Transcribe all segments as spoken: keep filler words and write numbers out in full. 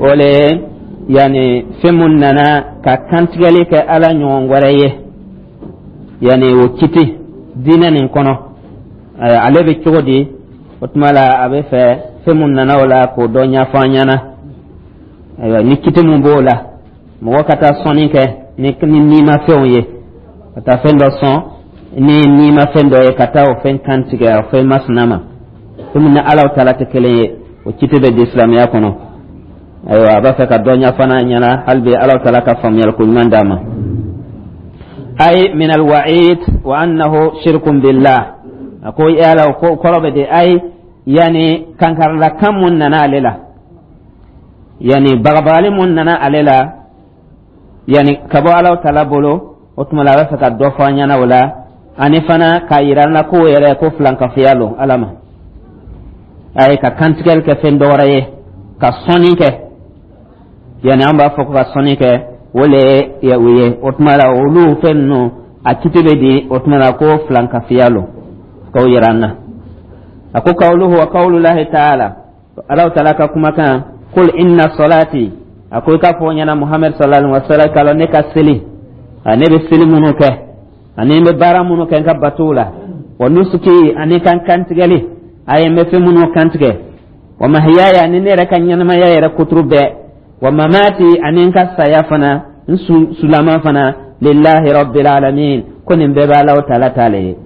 O le yani fɛn mun nana ka kantigɛli kɛ Ala ɲɔgɔn wɛrɛ ye, yani o kiti diinɛ nin kɔnɔ, ale bɛ cogo di? O tuma la, a bɛ fɛ fɛn mun nana o la, k'o dɔ ɲɛfɔ an ɲɛna. Ayiwa, ni kiti mun b'o la, mɔgɔ ka taa sɔnni kɛ ni ni nimafɛnw ye, ka taa fɛn dɔ sɔn ni nimafɛn dɔ ye, ka taa o fɛn kantigɛ o fɛn masina ma, fɛn min ni Ala taala tɛ kelen ye, o kiti bɛ di silamɛya kɔnɔ? Ayiwa, a b'a fɛ ka dɔ ɲɛfɔ an ɲɛna hali bi. Ala taala ka faamuyali ko ɲuman d'a ma. Ay min alwa'id wa annahu shirkun billah. A ko yala ko kɔrɔ bɛ di? Ay, yani kankarila kan mun nana ale la, yani bagabagali mun nana ale la, yani ka bɔ Ala taala bolo, o tuma la, a b'a fɛ ka dɔ fɔ an ɲɛna o la, ani fana k'a yira an na k'o yɛrɛ ko filankafoya lo Ala ma. A ye ka kantigɛli kɛ fɛn dɔ wɛrɛ ye, ka sɔnni kɛ, yani an b'a fɔ ko ka sɔnni kɛ, o le ye o ye. O tuma la, olu fɛn ninnu, a kiti bɛ di? O tuma la, ko filankafoya lo, k'o yira an na. A ko kawluhu wa kawlulahi taala, Ala taala ka kumakan, qul inna salati, a ko i k'a fɔ ɲɛna, Muhammed sallallahu alaihi wa sallam, k'a lɔn ne ka seli, ne bɛ seli minnu kɛ ani n bɛ baara minnu kɛ n ka batow la, wa nusuki, ani kan kantigɛli, a ye n bɛ fɛn minnu kantigɛ, wa mahiyaya, ani ne yɛrɛ ka ɲɛnamaya yɛrɛ kuturu bɛɛ, wa mamati, ani n ka saya fana, n sulama fana, lillahi rabbil alamin, ko nin bɛɛ bɛ Ala taala t'ale ye,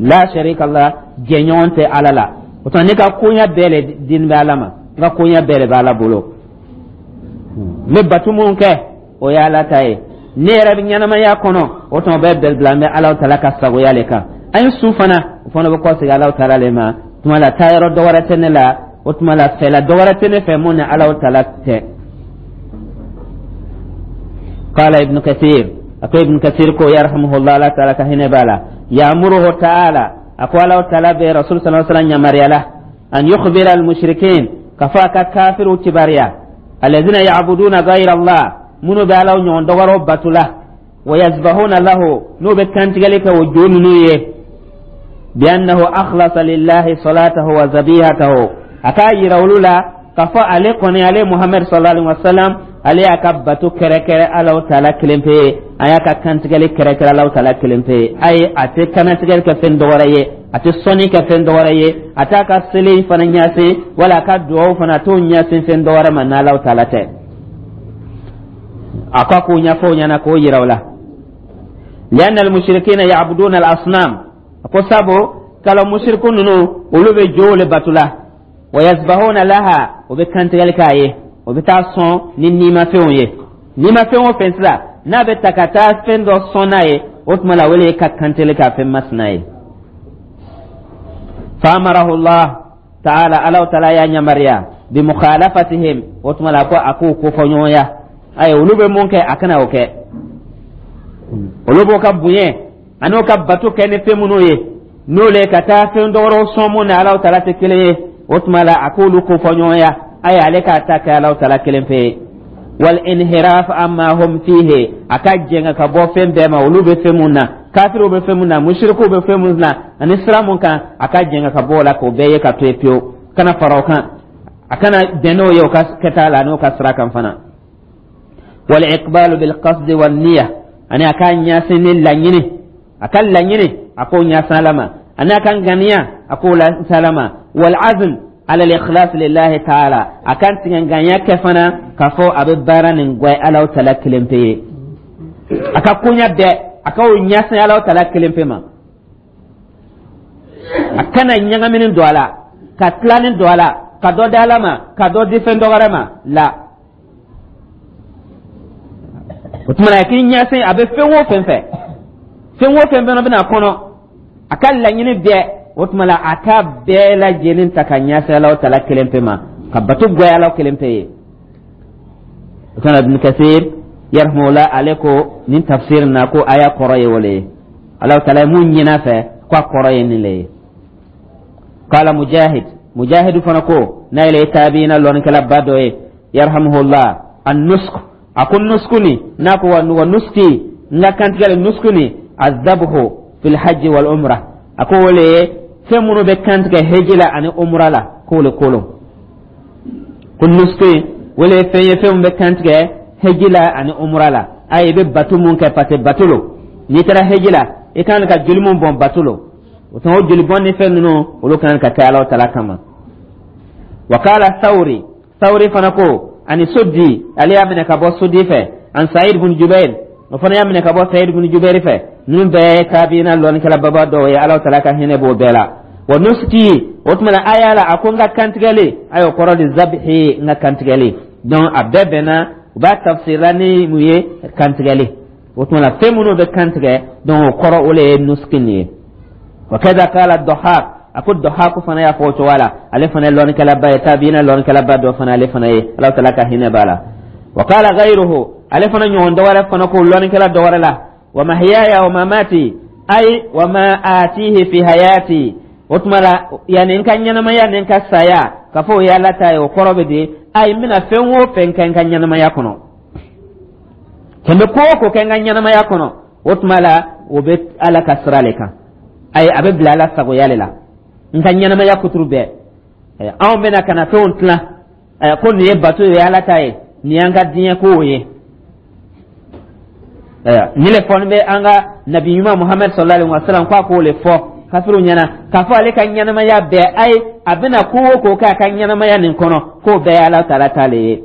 la sharika la, jɛɲɔgɔn tɛ Ala la. O tuma, ne ka koɲa bɛɛ le dini bɛ Ala ma, n ka koɲa bɛɛ de bɛ Ala bolo. N bɛ batu minnu kɛ, o ye Ala ta ye. Ne yɛrɛ bɛ ɲɛnamaya kɔnɔ, o tuma, bɛɛ bɛɛ bila n bɛ Ala taala ka sagoya le kan. An ye su fana, o fana bɛ kɔsegin Ala taala le ma. Tuma la, taayɔrɔ dɔ wɛrɛ tɛ ne la. O tuma la, fɛla dɔ wɛrɛ tɛ ne fɛ mun ni Ala taala tɛ. قال ابن كثير، أكو ابن كثير كو يرحمه الله، الله تعالى كهنا بالا، يأمره تعالى، أكو الله تعالى برسول صلى الله عليه وسلم يمريلا، أن يخبر المشركين، كفاك كافر كباريا، الذين يعبدون غير الله، منو بعلو نيون دوغرو باتولا، ويذبحون له، نو بكانتغلك وجون نويه، بأنه أخلص لله صلاته وذبيحته. أكا يرولولا كفا علي قني علي محمد صلى الله عليه وسلم، ale y'a ka bato kɛrɛkɛrɛ Alaw taala kelen pe ye, a y'a ka kantigɛli kɛrɛkɛrɛ Alaw taala kelen pe ye. Ayi, a tɛ kantigɛli kɛ fɛn dɔwɛrɛ ye, a tɛ sɔnni kɛ fɛn dɔwɛrɛ ye, a t'a ka seli fana ɲɛsin wala a ka duwawu fana, a t'o ɲɛsin fɛn dɔwɛrɛ ma n'Alaw taala tɛ. A ko a k'o ɲɛfɔ o ɲɛna, k'o yira o la. Lianna almushrikina ya'buduna al-asnam, a ko sabu kala mushriku ninnu, olu bɛ jow le batula, wa yasbahuna laha, o bɛ kantigɛli k'a ye, o bɛ taa sɔn ni nimafɛnw ye. Nimafɛn o fɛn sira n'a bɛ ta ka taa fɛn dɔ sɔn n'a ye, o tuma la, o le ye ka kantigɛli k'a fɛn masina ye. Faamarahu Allah taala, Alaw taala y'a yamaruya, bi mukhalafatihim, o tuma la, ko a k'o kofɔ ɲɔgɔnya. Ayi, olu bɛ mun kɛ, a kana o kɛ. Olu b'o ka bonya ani o ka bato kɛ ni fɛn minnu ye, n'o le ka taa fɛn dɔwɛrɛw sɔn mun ni Alaw taala tɛ kelen ye, o tuma la, a k'olu kofɔ ɲɔgɔnya. Ayi, ale k'a ta kɛ Alaw taala kelen pe ye. Wal inhiraf amma hum fihi, a ka jɛngɛ ka bɔ fɛn bɛɛ ma olu bɛ fɛn mun na, kafiriw bɛ fɛn mun na, musirikuw bɛ fɛn mun na, ani sira mun kan, a ka jɛngɛ ka bɔ o la, k'o bɛɛ ye ka to yen pewu, kana fara o kan, a kana bɛn n'o ye o ka kɛta la, n'o ka sira kan fana. Wal iqbalu bil qasdi wan niyya, ani a ka ɲɛsin ni laɲini, a ka laɲini, a k'o ɲɛsin Ala ma, ani a ka ŋaniya, a k'o lase Ala ma, wal azm ala al-ikhlas lillahi ta'ala, a kan tigɛ ŋaniya kɛ fana k'a fɔ a bɛ baara nin gwɛ Alaw tala kelen pe ye. A ka koɲa bɛɛ, a ka o ɲɛsin Alaw tala kelen pe ma, a kana ɲagamini don a la, ka tilani don a la, ka dɔ di Ala ma, ka dɔ di fɛn dɔ wɛrɛ ma la. O tuma na, k'i ɲɛsin a bɛ fɛn o fɛn fɛ, fɛn o fɛn fana bɛna kɔnɔ, a ka laɲini bɛɛ, o tuma la, a ka bɛɛ lajɛlen ta ka ɲɛsin Alaw tala kelen pe ma, ka bato gwɛ Alaw kelen pe ye. O tuma, Ibn Kasir yarhamullah, ale ko nin tafsir na ko aya kɔrɔ ye o le ye, Alaw tala ye mun ɲin'a fɛ, ko a kɔrɔ ye nin le ye. Qala Mujahid, Mujahid fana ko, n'a yɛrɛ ye tabiina lɔnnikɛla dɔ ye, yarhamuhullah, an nusk, a ko nusku ni n'a ko wa nuski, n ka kantigɛli nusku ni, azabhu fil hajji wal umrah, a ko o le ye fɛn minnu bɛ kantigɛ heji la ani umra la, k'o le kolon. Ko nusuki o le ye fɛn ye, fɛn min bɛ kantigɛ heji la ani umra la. Ayi, i bɛ bato mun kɛ, parce que bato lo. N'i taara heji la, i kan ka joli mun bɔn, bato lo. O tuma, o joli bɔn ni fɛn ninnu, olu kan ka kɛ Ala tala kama. Wa qala Sawri, Sawri fana ko ani Suddi, ale y'a minɛ ka bɔ Suddi fɛ, an Sa'id bin Jubair, o fana y'a minɛ ka bɔ Sa'id bin Jubair fɛ. Ninnu bɛɛ ye tabiina lɔnnikɛla baba dɔw ye, Ala tala ka hinɛ b'o bɛɛ la. Wa nusuki, o tuma na aya la, a ko n ka kantigɛli, a y'o kɔrɔ di zabihi, n ka kantigɛli. Donc a bɛɛ bɛnna, u b'a tafsirila ni mun ye? Kantigɛli. O tuma na, fɛn minnu bɛ kantigɛ, donc o kɔrɔ, o le ye nusuki nin ye. Wa kaza qala Dɔhak, a ko Dɔhak fana y'a fɔ o cogoya la. Ale fana ye lɔnnikɛlaba ye, tabiina lɔnnikɛlaba dɔ fana ale fana ye, Ala tala ka hinɛ b'a la. Wa qala ghayruhu, ale fana ɲɔgɔn dɔ wɛrɛ fana ko lɔnnikɛla dɔ wɛrɛ la: wa mahyaya wa mamati, ay wa ma atihi fi hayati. O tuma la, yani n ka ɲɛnamaya ni n ka saya, ka fɔ o ye Ala ta ye, o kɔrɔ bɛ di? Ayi, n bɛna fɛn o fɛn kɛ n ka ɲɛnamaya kɔnɔ, kɛ n bɛ ko o ko kɛ n ka ɲɛnamaya kɔnɔ, o tuma la, o bɛ Ala ka sira le kan. Ayi, a bɛ bila Ala sagoya le la n ka ɲɛnamaya kuturu bɛɛ. Anw bɛna ka na fɛnw tilan ko nin ye bato ye, Ala ta ye, nin y'an ka diɲɛ kow ye. Ni le fɔni bɛ an ka nabi ɲuman Muhammed sallallahu alaihi wa sallam, ko a k'o le fɔ kafiriw ɲɛna k'a fɔ ale ka ɲɛnamaya bɛɛ, ayi, a bɛna ko o ko k'a ka ɲɛnamaya nin kɔnɔ, k'o bɛɛ ye Ala taala ta le ye.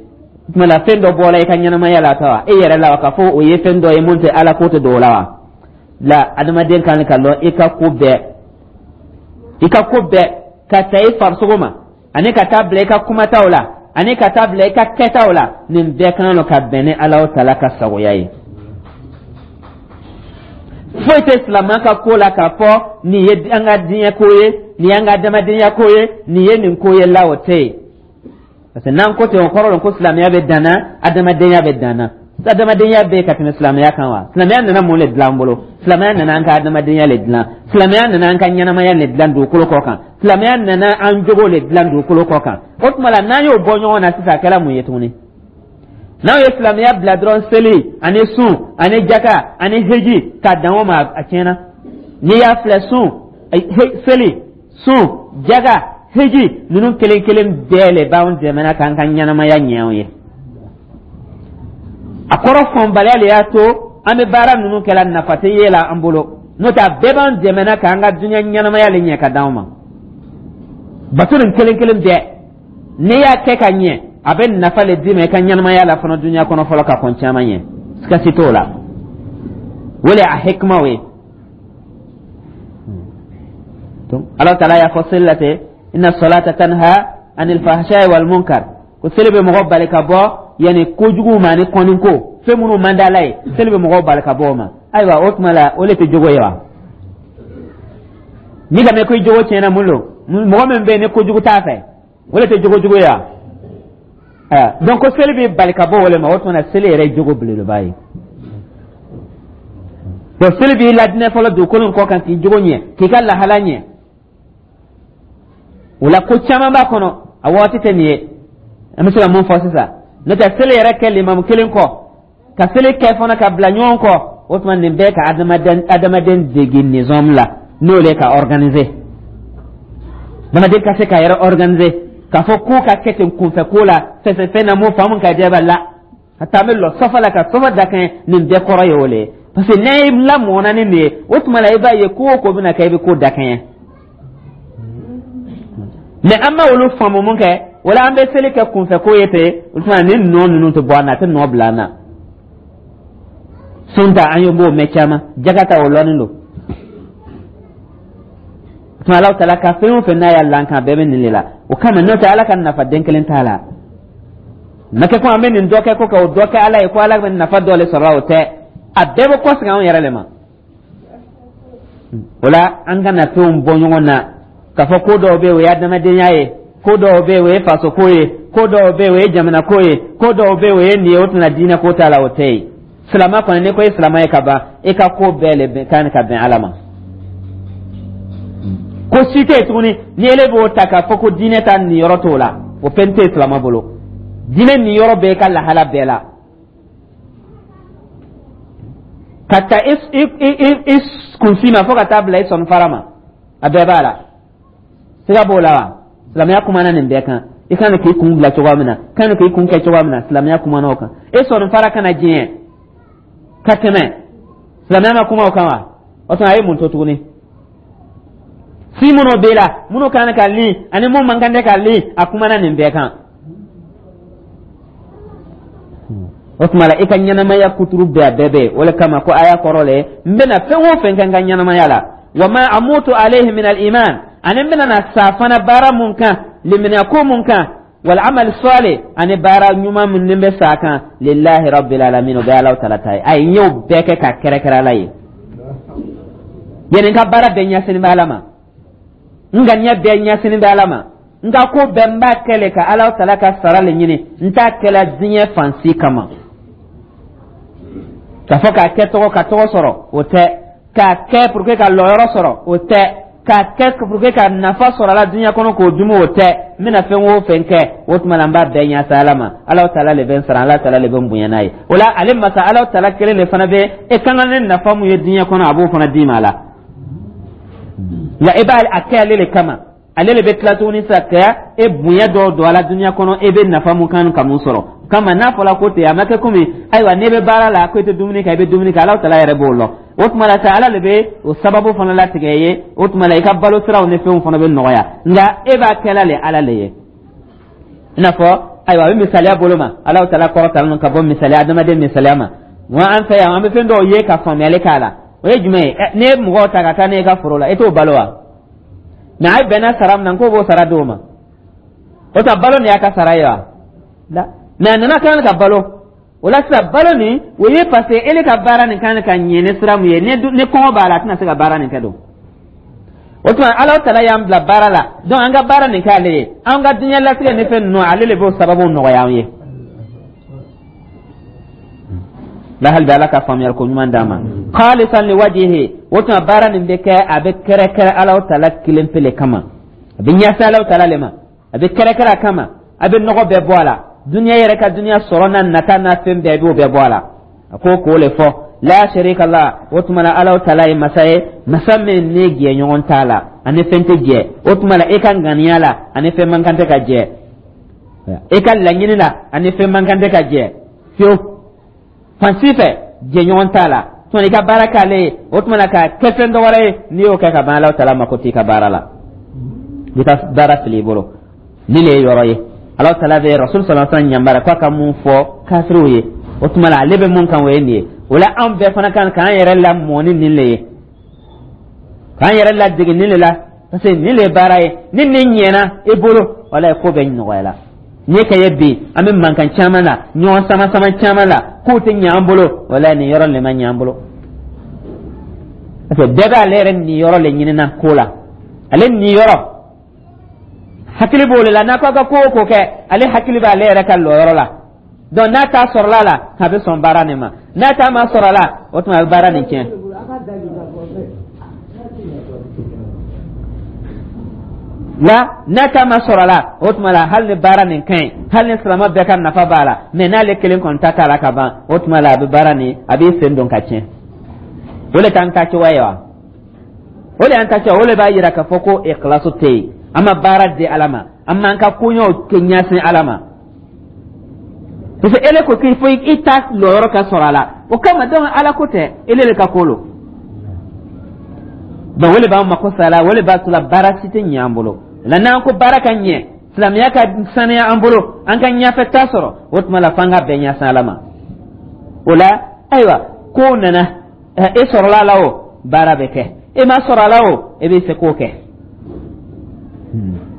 Tuma la, fɛn dɔ bɔra i ka ɲɛnamaya la ta wa, e yɛrɛ la wa, k'a fɔ o ye fɛn dɔ ye mun tɛ Ala ko tɛ don o la wa? La, adamaden kan ka lɔn i ka ko bɛɛ, i ka ko bɛɛ, ka ta i farisogo ma ani ka taa bila i ka kumataw la ani ka taa bila i ka kɛtaw la, nin bɛɛ kan ka bɛn ni Ala taala ka sagoya ye. Foyi tɛ silamɛ ka ko la k'a fɔ nin ye an ka diɲɛ ko ye, nin y'an ka adamadenya ko ye, nin ye nin ko ye la, o tɛ yen. Parce que n'an ko ten, o kɔrɔ ko silamɛya bɛ danna, adamadenya bɛ danna. Adamadenya bɛ ka tɛmɛ silamɛya kan wa? Silamɛya nana mun le dilan an bolo? Silamɛya nana an ka adamadenya le dilan. Silamɛya nana an ka ɲɛnamaya le dilan dugukolo kɔ kan. Silamɛya nana an jogo le dilan dugukolo kɔ kan. O tuma la, n'an y'o bɔ ɲɔgɔn na sisan, a kɛra mun ye tuguni? N'aw ye silamɛya bila dɔrɔn seli ani sun ani jaka ani heji ka dan o ma, a tiɲɛna. N'i y'a filɛ, sun, seli, sun, jaka, heji ninnu kelen kelen bɛɛ le b'anw dɛmɛ k'an ka ɲɛnamaya ɲɛ anw ye. A kɔrɔ fɔnbaliya le y'a to an bɛ baara ninnu kɛla, nafa tɛ ye la an bolo. N'o tɛ, a bɛɛ b'an dɛmɛ k'an ka diɲɛ ɲɛnamaya le ɲɛ ka d'anw ma. Bato nin kelen kelen bɛɛ, n'i y'a kɛ ka ɲɛ, a bɛ nafa le d'i ma i ka ɲɛnamaya la fana dunuya kɔnɔ fɔlɔ ka kɔn caman ɲɛ, sigasi t'o la. O le a hikimaw ye. Donc Ala taala y'a fɔ seli la ten: inna salata tanha anil fahsha'i wal munkar, ko seli bɛ mɔgɔ bali ka bɔ yanni kojugu ma ani kɔniko, fɛn minnu man di Ala ye, seli bɛ mɔgɔw bali ka bɔ o ma. Ayiwa, o tuma la, o le tɛ jogo ye wa? N'i ka mɛn ko i jogo tiɲɛna, mun don? Mɔgɔ min bɛ yen ni kojugu t'a fɛ, o le tɛ jogo jugu ye wa? Donc ko seli bɛ bali ka bɔ o le ma, o tuma na, seli yɛrɛ ye jogo belebeleba ye. Donc seli b'i ladinɛ fɔlɔ dugukolo kɔ kan, k'i jogo ɲɛ, k'i ka lahala ɲɛ. O la, ko caman b'a kɔnɔ, a waati tɛ nin ye. An bɛ se ka mun fɔ sisan? N'o tɛ, seli yɛrɛ kɛ limamu kelen kɔ, ka seli kɛ fana ka bila ɲɔgɔn kɔ, o tuma nin bɛɛ ka adamaden adamaden dege nizam la, n'o le ka organiser, adamaden ka se k'a yɛrɛ organiser, k'a fɔ ko ka kɛ ten kunfɛ ko la, fɛn fɛn na mun faamu ka jɛ la, ka taa bɛ lɔ sɔfɛ la, ka sɔfɛ da kɛɲɛ. Nin bɛɛ kɔrɔ ye o le ye, parce que n'a ye lamɔna ni nin ye, o tuma la, i b'a ye ko o ko bɛna kɛ, i bɛ ko da kɛɲɛ. Mais an ma olu faamu mun kɛ, wala an bɛ seli kɛ kunfɛ ko ye ten. O tuma, ni nɔ ninnu tɛ bɔ an na, a tɛ nɔ bila an na. Sun ta, an ye b'o mɛn caman, jaga ta, o lɔnnen don. O tuma, Alahu taala ka fɛn o fɛn n'a y'a lan kan, bɛɛ bɛ nin de la. O kama, n'o tɛ, Ala ka nafa den kelen t'a la. Na kɛ ko an bɛ nin dɔ kɛ ko ka o dɔ kɛ Ala ye, ko Ala bɛ nafa dɔ le sɔrɔ, o tɛ. A bɛɛ bɛ kɔsegin anw yɛrɛ le ma. O la, an kana fɛnw bɔ ɲɔgɔn na k'a fɔ ko dɔw bɛ yen, o ye adamadenya ye, ko dɔw bɛ yen, o ye faso ko ye, ko dɔw bɛ yen, o ye jamana ko ye, ko dɔw bɛ yen, o ye nin ye, o tɛna diinɛ ko t'a la. O tɛ yen. Silamɛ kɔni, n'i ko i silamɛ ye ka ban, i ka ko bɛɛ le kan ka bɛn Ala ma. Ko si tɛ yen tuguni ni ele b'o ta k'a fɔ ko diinɛ ta nin yɔrɔ t'o la, o fɛn tɛ yen silamɛ bolo. Diinɛ nin yɔrɔ bɛɛ, i ka lahala bɛɛ la, ka ta i i i kunsi ma fo ka taa bila i sɔnifara ma, a bɛɛ b'a la. Siga b'o la wa? Silamɛya kumana nin bɛɛ kan. I kan k'i kun bila cogoya min na, kan k'i kun kɛ cogoya min na, silamɛya kumana o kan. E sɔnni fara kana diɲɛ ka tɛmɛ, silamɛya ma kuma o kan wa? O tuma, a ye mun to tuguni? Si minnu b'e la, minnu kan ka li ani mun man kan tɛ ka li, a kumana nin bɛɛ kan. O tuma la, i ka ɲɛnamaya kuturu bɛɛ, a bɛɛ bɛ yen. O le kama ko aya kɔrɔ le, n bɛna fɛn o fɛn kɛ n ka ɲɛnamaya la, wa ma amutu alayhi min al-iman, ani n bɛna na sa fana baara mun kan, limaniya ko mun kan, wal amal salih, ani baara ɲuman min ni bɛ sa kan, lillahi rabbil alamin, o bɛ Ala tala ta ye. Ayi, n y'o bɛɛ kɛ ka kɛrɛkɛrɛ Ala ye. Yani n ka baara bɛɛ ɲɛsinin bɛ Ala ma, n ŋaniya bɛɛ ɲɛsinin bɛ Ala ma, n ka ko bɛɛ n b'a kɛ le ka Ala tala ka sara le ɲini. N t'a kɛla diɲɛ fan si kama, k'a fɔ k'a kɛ tɔgɔ ka tɔgɔ sɔrɔ, o tɛ. K'a kɛ pour que ka lɔyɔrɔ sɔrɔ, o tɛ. K'a kɛ pour que ka nafa sɔrɔ a la diɲɛ kɔnɔ k'o dumu, o tɛ. N bɛna fɛn o fɛn kɛ, o tuma la, n b'a bɛɛ ɲɛsa Ala ma. Ala tala le bɛ n sara, Ala tala le bɛ n bonya n'a ye. O la, ale masa Ala tala kelen de fana bɛ e kan ka ne nafa mun ye diɲɛ kɔnɔ, a b'o fana d'i ma a la. Nka e b'a a kɛ ale le kama, ale le bɛ tila tuguni sa ka e bonya dɔw don a la diɲɛ kɔnɔ, e bɛ nafa mun kan ka mun sɔrɔ kama. N'a fɔra ko ten, a ma kɛ komi ayiwa, n'e bɛ baara la ko e tɛ dumuni kɛ, i bɛ dumuni kɛ, Ala tala yɛrɛ b'o lɔ. O tuma la sa, Ala de bɛ o sababu fana latigɛ ye. O tuma la, i ka balo siraw ni fɛnw fana bɛ nɔgɔya, nka e b'a kɛla le Ala le ye. I n'a fɔ ayiwa, a bɛ misaliya bolo ma, Ala tala kɔrɔtalen ka bɔ misaliya adamaden misaliya ma. Wa an fɛ yan, an bɛ fɛn dɔw ye ka faamuyali k'a la. O ye jumɛn ye? N'e ye mɔgɔw ta ka taa n'e ka foro la, e t'o balo wa? Mɛ a ye bɛnna sara min na, k'o b'o sara d'o ma. O ta balo nin y'a ka sara ye wa? La, mɛ a nana kan ka balo. O la sisan, balo nin o ye parce que ele ka baara nin kan ka ɲɛ ni sira mun ye, ni kɔngɔ b'a la, a tɛna se ka baara nin kɛ don. O tuma, Ala tala y'an bila baara la, donc an ka baara nin k'ale ye. An ka diɲɛ latigɛ ni fɛn ninnu, ale de b'o sababu nɔgɔya an ye la. Hali bi, Ala ka faamuyali ko ɲuman d'an ma. Khalisan li wajhihi, o tuma baara nin bɛ kɛ, a bɛ kɛrɛkɛrɛ Ala tala kelen pe le kama, a bɛ ɲɛsin Ala tala le ma, a bɛ kɛrɛkɛrɛ a kama, a bɛ nɔgɔ bɛɛ bɔ a la, duniya yɛrɛ ka duniya sɔrɔ n'a nata n'a fɛn bɛɛ, i b'o bɛɛ bɔ a la. A ko k'o le fɔ, la sharika la, o tuma la, Ala tala ye masa ye, masa min ni jɛɲɔgɔn t'a la, ani fɛn tɛ jɛ. O tuma la, e ka ŋaniya la, ani fɛn man kan tɛ ka jɛ. E ka laɲini la, ani fɛn man kan tɛ ka jɛ fiyewu. Fan si fɛ, jɛɲɔgɔn t'a la. Tuma i ka baara k'ale ye, o tuma la, k'a kɛ fɛn dɔ wɛrɛ ye, n'i y'o kɛ ka ban, Ala tala mako t'i ka baara la, i ka baara fili i bolo. Ni le ye yɔrɔ ye, Ala tala bɛ Rasul sallallahu alaihi wasallam yamaruya k'a ka mun fɔ kafiriw ye. O tuma la, ale bɛ mun kan, o ye nin ye. O la, anw bɛɛ fana kan k'an yɛrɛ lamɔ ni nin le ye, k'an yɛrɛ ladege nin le la, parce que nin le ye baara ye. Ni nin ɲɛna i bolo, walayi, ko bɛɛ nɔgɔyala. N'i ka ye bi, an bɛ mankan caman la, ɲɔgɔn sama sama caman la, k'o tɛ ɲɛ an bolo, walayi, nin yɔrɔ le ma ɲɛ an bolo, parce que bɛɛ b'ale yɛrɛ nin yɔrɔ le ɲinina ko la. Ale nin yɔrɔ hakili b'o le la. N'a ko a ka ko o ko kɛ, ale hakili b'ale yɛrɛ ka lɔyɔrɔ la. Donc n'a t'a sɔrɔla la, a bɛ sɔn baara nin ma. N'a t'a ma sɔrɔ la, o tuma a bɛ baara nin tiɲɛ la. N'a ta ma sɔrɔ la, o tuma la, hali ni baara nin ka ɲi, hali ni silamɛ bɛɛ ka nafa b'a la, mɛ n'ale kelen kɔni ta t'a la ka ban, o tuma la, a bɛ baara nin, a b'i sen don ka tiɲɛ. O le t'an ta cogoya ye wa? O de y'an ta cogoya. O de b'a yira k'a fɔ ko ikhlasu tɛ yen. An ma baara di Ala ma, an m'an ka koɲɛw kɛ ɲɛsin Ala ma, parce que ele ko k'i fo i ta lɔyɔrɔ ka sɔrɔ a la. O kama donc, Ala ko tɛ, ele de ka ko lo. Donc o de b'an mako sa la, o de b'a to la baara si tɛ ɲɛ an bolo la. N'an ko baara ka ɲɛ, silamɛya ka saniya an bolo, an ka ɲɛfɛ ta sɔrɔ, o tuma la, f'an ka bɛn ɲɛsin Ala ma. O la, ayiwa, kow nana, e sɔrɔla a la, o baara bɛ kɛ. E ma sɔrɔ a la, o e bɛ se k'o kɛ.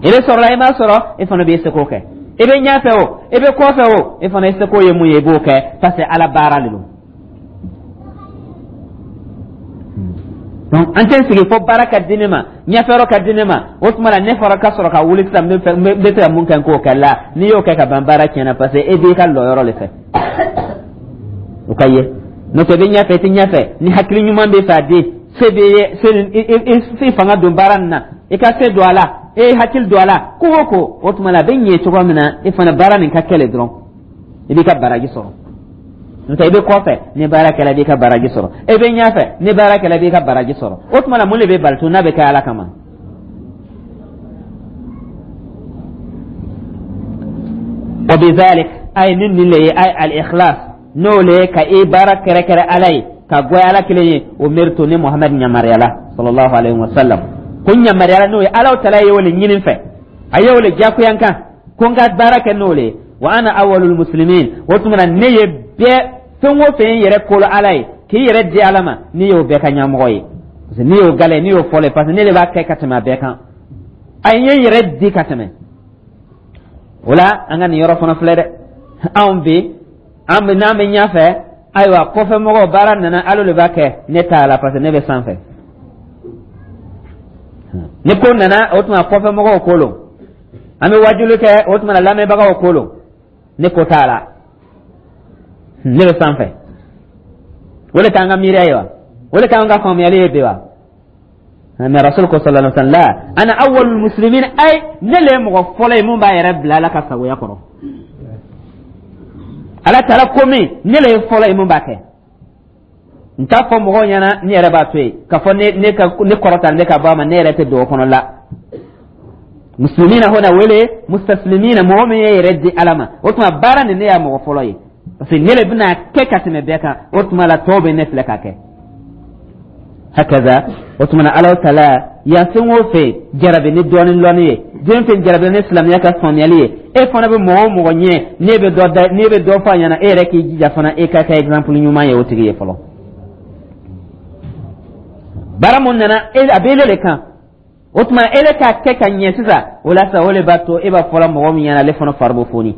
E bɛ sɔrɔ la, e ma sɔrɔ, e fana bɛ se k'o kɛ. E bɛ ɲɛfɛ o, e bɛ kɔfɛ o, e fana ye seko ye mun ye, i b'o kɛ, parce que Ala baara de don. Donc an tɛ sigi fo baara ka di ne ma, ɲɛfɛyɔrɔ ka di ne ma, o tuma la ne fɔra ka sɔrɔ ka wuli sisan, n bɛ se ka mun kɛ, n k'o kɛ la. N'i y'o kɛ ka ban, baara tiɲɛna, parce que e b'i ka lɔyɔrɔ de fɛ, o ka ye. N'o tɛ, i bɛ ɲɛfɛ, i tɛ ɲɛfɛ, ni hakili ɲuman bɛ fɛ a di se bɛ ye, se i fanga don baara nin na, i ka se don a la, e ye hakili don a la, ko o ko, o tuma la, a bɛ ɲɛ cogo min na, e fana baara nin ka kɛlɛ dɔrɔn, i b'i ka baraji sɔrɔ. N'o tɛ, i bɛ kɔfɛ ni baara kɛla, i b'i ka baraji sɔrɔ. E bɛ ɲɛfɛ ni baara kɛla, i b'i ka baraji sɔrɔ. O tuma la, mun de bɛ bali tun n'a bɛ kɛ Ala kama? Wa bizalik, ay nin nin le ye, ay al ikhlas, n'o le ye ka i baara kɛrɛkɛrɛ Ala ye, ka goya Ala kelen ye. Umirtu, ni Muhamad ɲamariyala, sallallahu alaihi wa sallam, ko ɲamariyala n'o ye. Ala tala ye o le ɲini fɛ, a ye o le jagoya n kan ko n ka baara kɛ n'o le ye. Wa ana awwalul muslimin. O tuma na, ne ye bɛɛ, fɛn o fɛn yɛrɛ kolo Ala ye, k'i yɛrɛ di Ala ma, ne y'o bɛɛ ka ɲɛmɔgɔ ye, parce que ne y'o gale, ne y'o fɔlɔ ye, parce que ne de b'a kɛ ka tɛmɛ a bɛɛ kan. A ye n yɛrɛ di ka tɛmɛ o la. An ka nin yɔrɔ fana filɛ dɛ. Anw bi, an bɛ n'an bɛ ɲɛfɛ, ayiwa, kɔfɛ mɔgɔw, baara nana, Ala de b'a kɛ, ne t'a la, parce que ne bɛ sanfɛ. Ni ko nana, o tuma kɔfɛ mɔgɔw ko lo. An bɛ wajuli kɛ, o tuma lamɛnbagaw ko lo, ne ko t'a la, ne bɛ sanfɛ. O de t'an ka miiriya ye wa? O de t'an ka faamuyali ye bi wa? Mais Rasul ko, sallallahu alaihi wa sallam: ana awwalul muslimin, ay ne le ye mɔgɔ fɔlɔ ye mun b'a yɛrɛ bila Ala ka sagoya kɔrɔ. Ala taara ko min, ne le ye fɔlɔ ye mun b'a kɛ. N t'a fɔ mɔgɔw ɲɛna, ne yɛrɛ b'a to yen k'a fɔ ne ne ka ne kɔrɔta, ne ka bɔ a ma, ne yɛrɛ tɛ don o kɔnɔ la. Muslimina hona wele mustaslimina, mɔgɔ min ye yɛrɛ di Ala ma. O tuma baara nin, ne y'a mɔgɔ fɔlɔ ye, parce que ne le bɛna kɛ ka tɛmɛ bɛɛ kan. O tuma la, tɔw bɛ ne filɛ k'a kɛ hakaza. O tuma na, Ala taala yan, fɛn o fɛn jarabi ni dɔɔni lɔnni ye, den fɛn jarabi ni silamɛya ka faamuyali ye, e fana bɛ mɔgɔ o mɔgɔ ɲɛ, n'e bɛ dɔ da, n'e bɛ dɔ fɔ a ɲɛna, e yɛrɛ k'i jija fana, e ka kɛ exemple ɲuman ye o tigi ye fɔlɔ. Baara mun nana, a bɛ ele de kan. O tuma ele k'a kɛ ka ɲɛ sisan, o la sisan, o de b'a to e b'a fɔla mɔgɔ min ɲɛna, ale fana fari bɛ foni.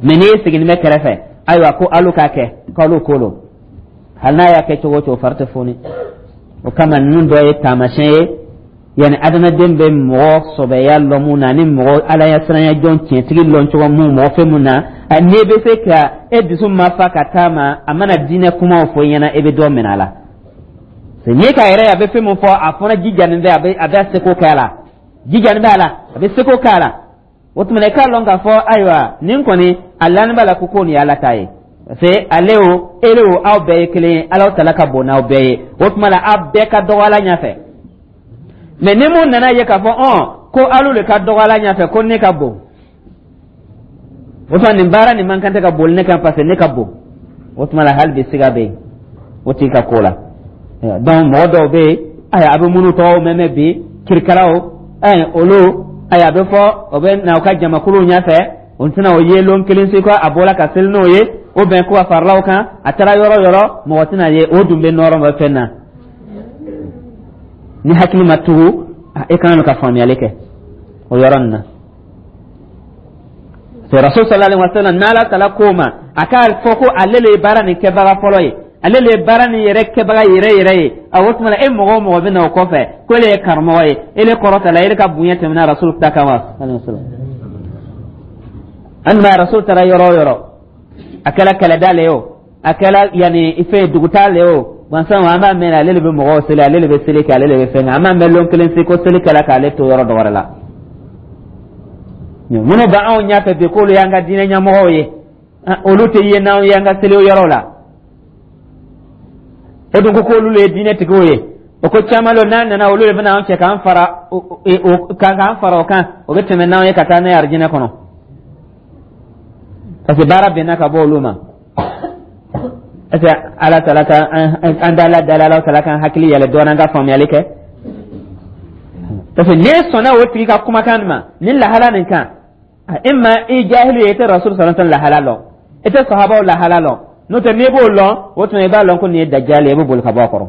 Mɛ n'i sigilen bɛ kɛrɛfɛ, ayiwa, ko alu k'a kɛ, k'alu ko lo, hali n'a y'a kɛ cogo o cogo, fari tɛ foni. O kama, ninnu dɔ ye taamasiyɛn ye, yanni adamaden bɛ mɔgɔ sɔbɛya lɔn mun na, ani mɔgɔ Ala siranya jɔn tiɲɛtigi lɔn cogo mun, mɔgɔ fɛn mun na n'e bɛ se ka e dusu ma fa ka taa ma, a mana diinɛ kumaw fɔ i ɲɛna, e bɛ dɔ minɛ a la. N'i ka yɛrɛ, a bɛ fɛn min fɔ, a fana jijanen bɛ, a bɛ a bɛ seko kɛ a la, jijanen bɛ a la, a bɛ seko kɛ a la. O tuma i k'a lɔn k'a fɔ, ayiwa, nin kɔni a lani b'a la ko ko nin ye Ala ta ye, parce que ale o, ele o, aw bɛɛ ye kelen ye. Ala tala ka bon n'aw bɛɛ ye. O tuma la, aw bɛɛ ka dɔgɔ Ala ɲɛfɛ. Mɛ ni mun nana ye k'a fɔ ɔn ko alu de ka dɔgɔ Ala ɲɛfɛ, ko ne ka bon, o tuma nin baara nin man kan tɛ ka boli ne kan, parce que ne ka bon, o tuma la, hali bi siga bɛ yen o tigi ka ko la. Donc mɔgɔ dɔw bɛ yen, ayiwa, a bɛ minnu tɔgɔw mɛn mɛn bi, kirikaraw, ɛɛ olu, ayiwa, a bɛ fɔ o bɛ na u ka jamakuluw ɲɛfɛ, o tɛna o ye lon kelen si ko a bɔra ka seli n'o ye, o bɛn ko a faralaw kan, a taara yɔrɔ yɔrɔ, mɔgɔ tɛna ye. O dun bɛ nɔrɔ bɛ fɛn na. Ni hakili ma tugu, e kan ka faamuyali kɛ o yɔrɔ nin na. Rasul sallallahu alaihi wasallam, n'Ala tala ko ma, a k'a fɔ ko ale le ye baara nin kɛbaga fɔlɔ ye, ale le ye baara nin yɛrɛ kɛbaga yɛrɛ yɛrɛ ye. A o tuma na, e mɔgɔ o mɔgɔ bɛ na o kɔfɛ ko ele ye karamɔgɔ ye, ele kɔrɔta la, ele ka bonya tɛmɛna Rasul ta kan wa? An ma Rasul taara yɔrɔ o yɔrɔ, a kɛra kɛlɛda le ye o, a kɛra yanni fɛn dugutaa le ye o, gansan an b'a mɛn, ale de bɛ mɔgɔw seli, ale de bɛ seli kɛ, ale de bɛ fɛn kɛ. An b'a mɛn lon kelen se ko seli kɛla k'ale to yɔrɔ dɔ wɛrɛ la. Minnu bɛ anw ɲɛfɛ bi k'olu y'an ka diinɛ ɲɛmɔgɔw ye, olu tɛ ye n'anw y'an ka seli yɔrɔ la. O dun ko k'olu le ye diinɛtigiw ye. O ko caman lo n'a nana, olu de bɛna an cɛ k'an fara k'an fara o kan, o bɛ tɛmɛ n'anw ye ka taa n'a ye arijinɛ kɔnɔ, parce que baara bɛnna ka bɔ olu ma. Est ce que Ala tala ka an da Ala dala, Ala tala kan hakili yɛlɛ dɔɔnin, an ka faamuyali kɛ, parce que n'e sɔnna o tigi ka kumakan ma ni lahala nin kan, imma i jahilu ye, i tɛ Rasul sallallahu alaihi wasallam lahala lɔn, i tɛ sahabaw lahala lɔn. N'o tɛ, n'i b'o lɔn, o tuma i b'a lɔn ko nin ye dajali ye, i bɛ boli ka bɔ a kɔrɔ.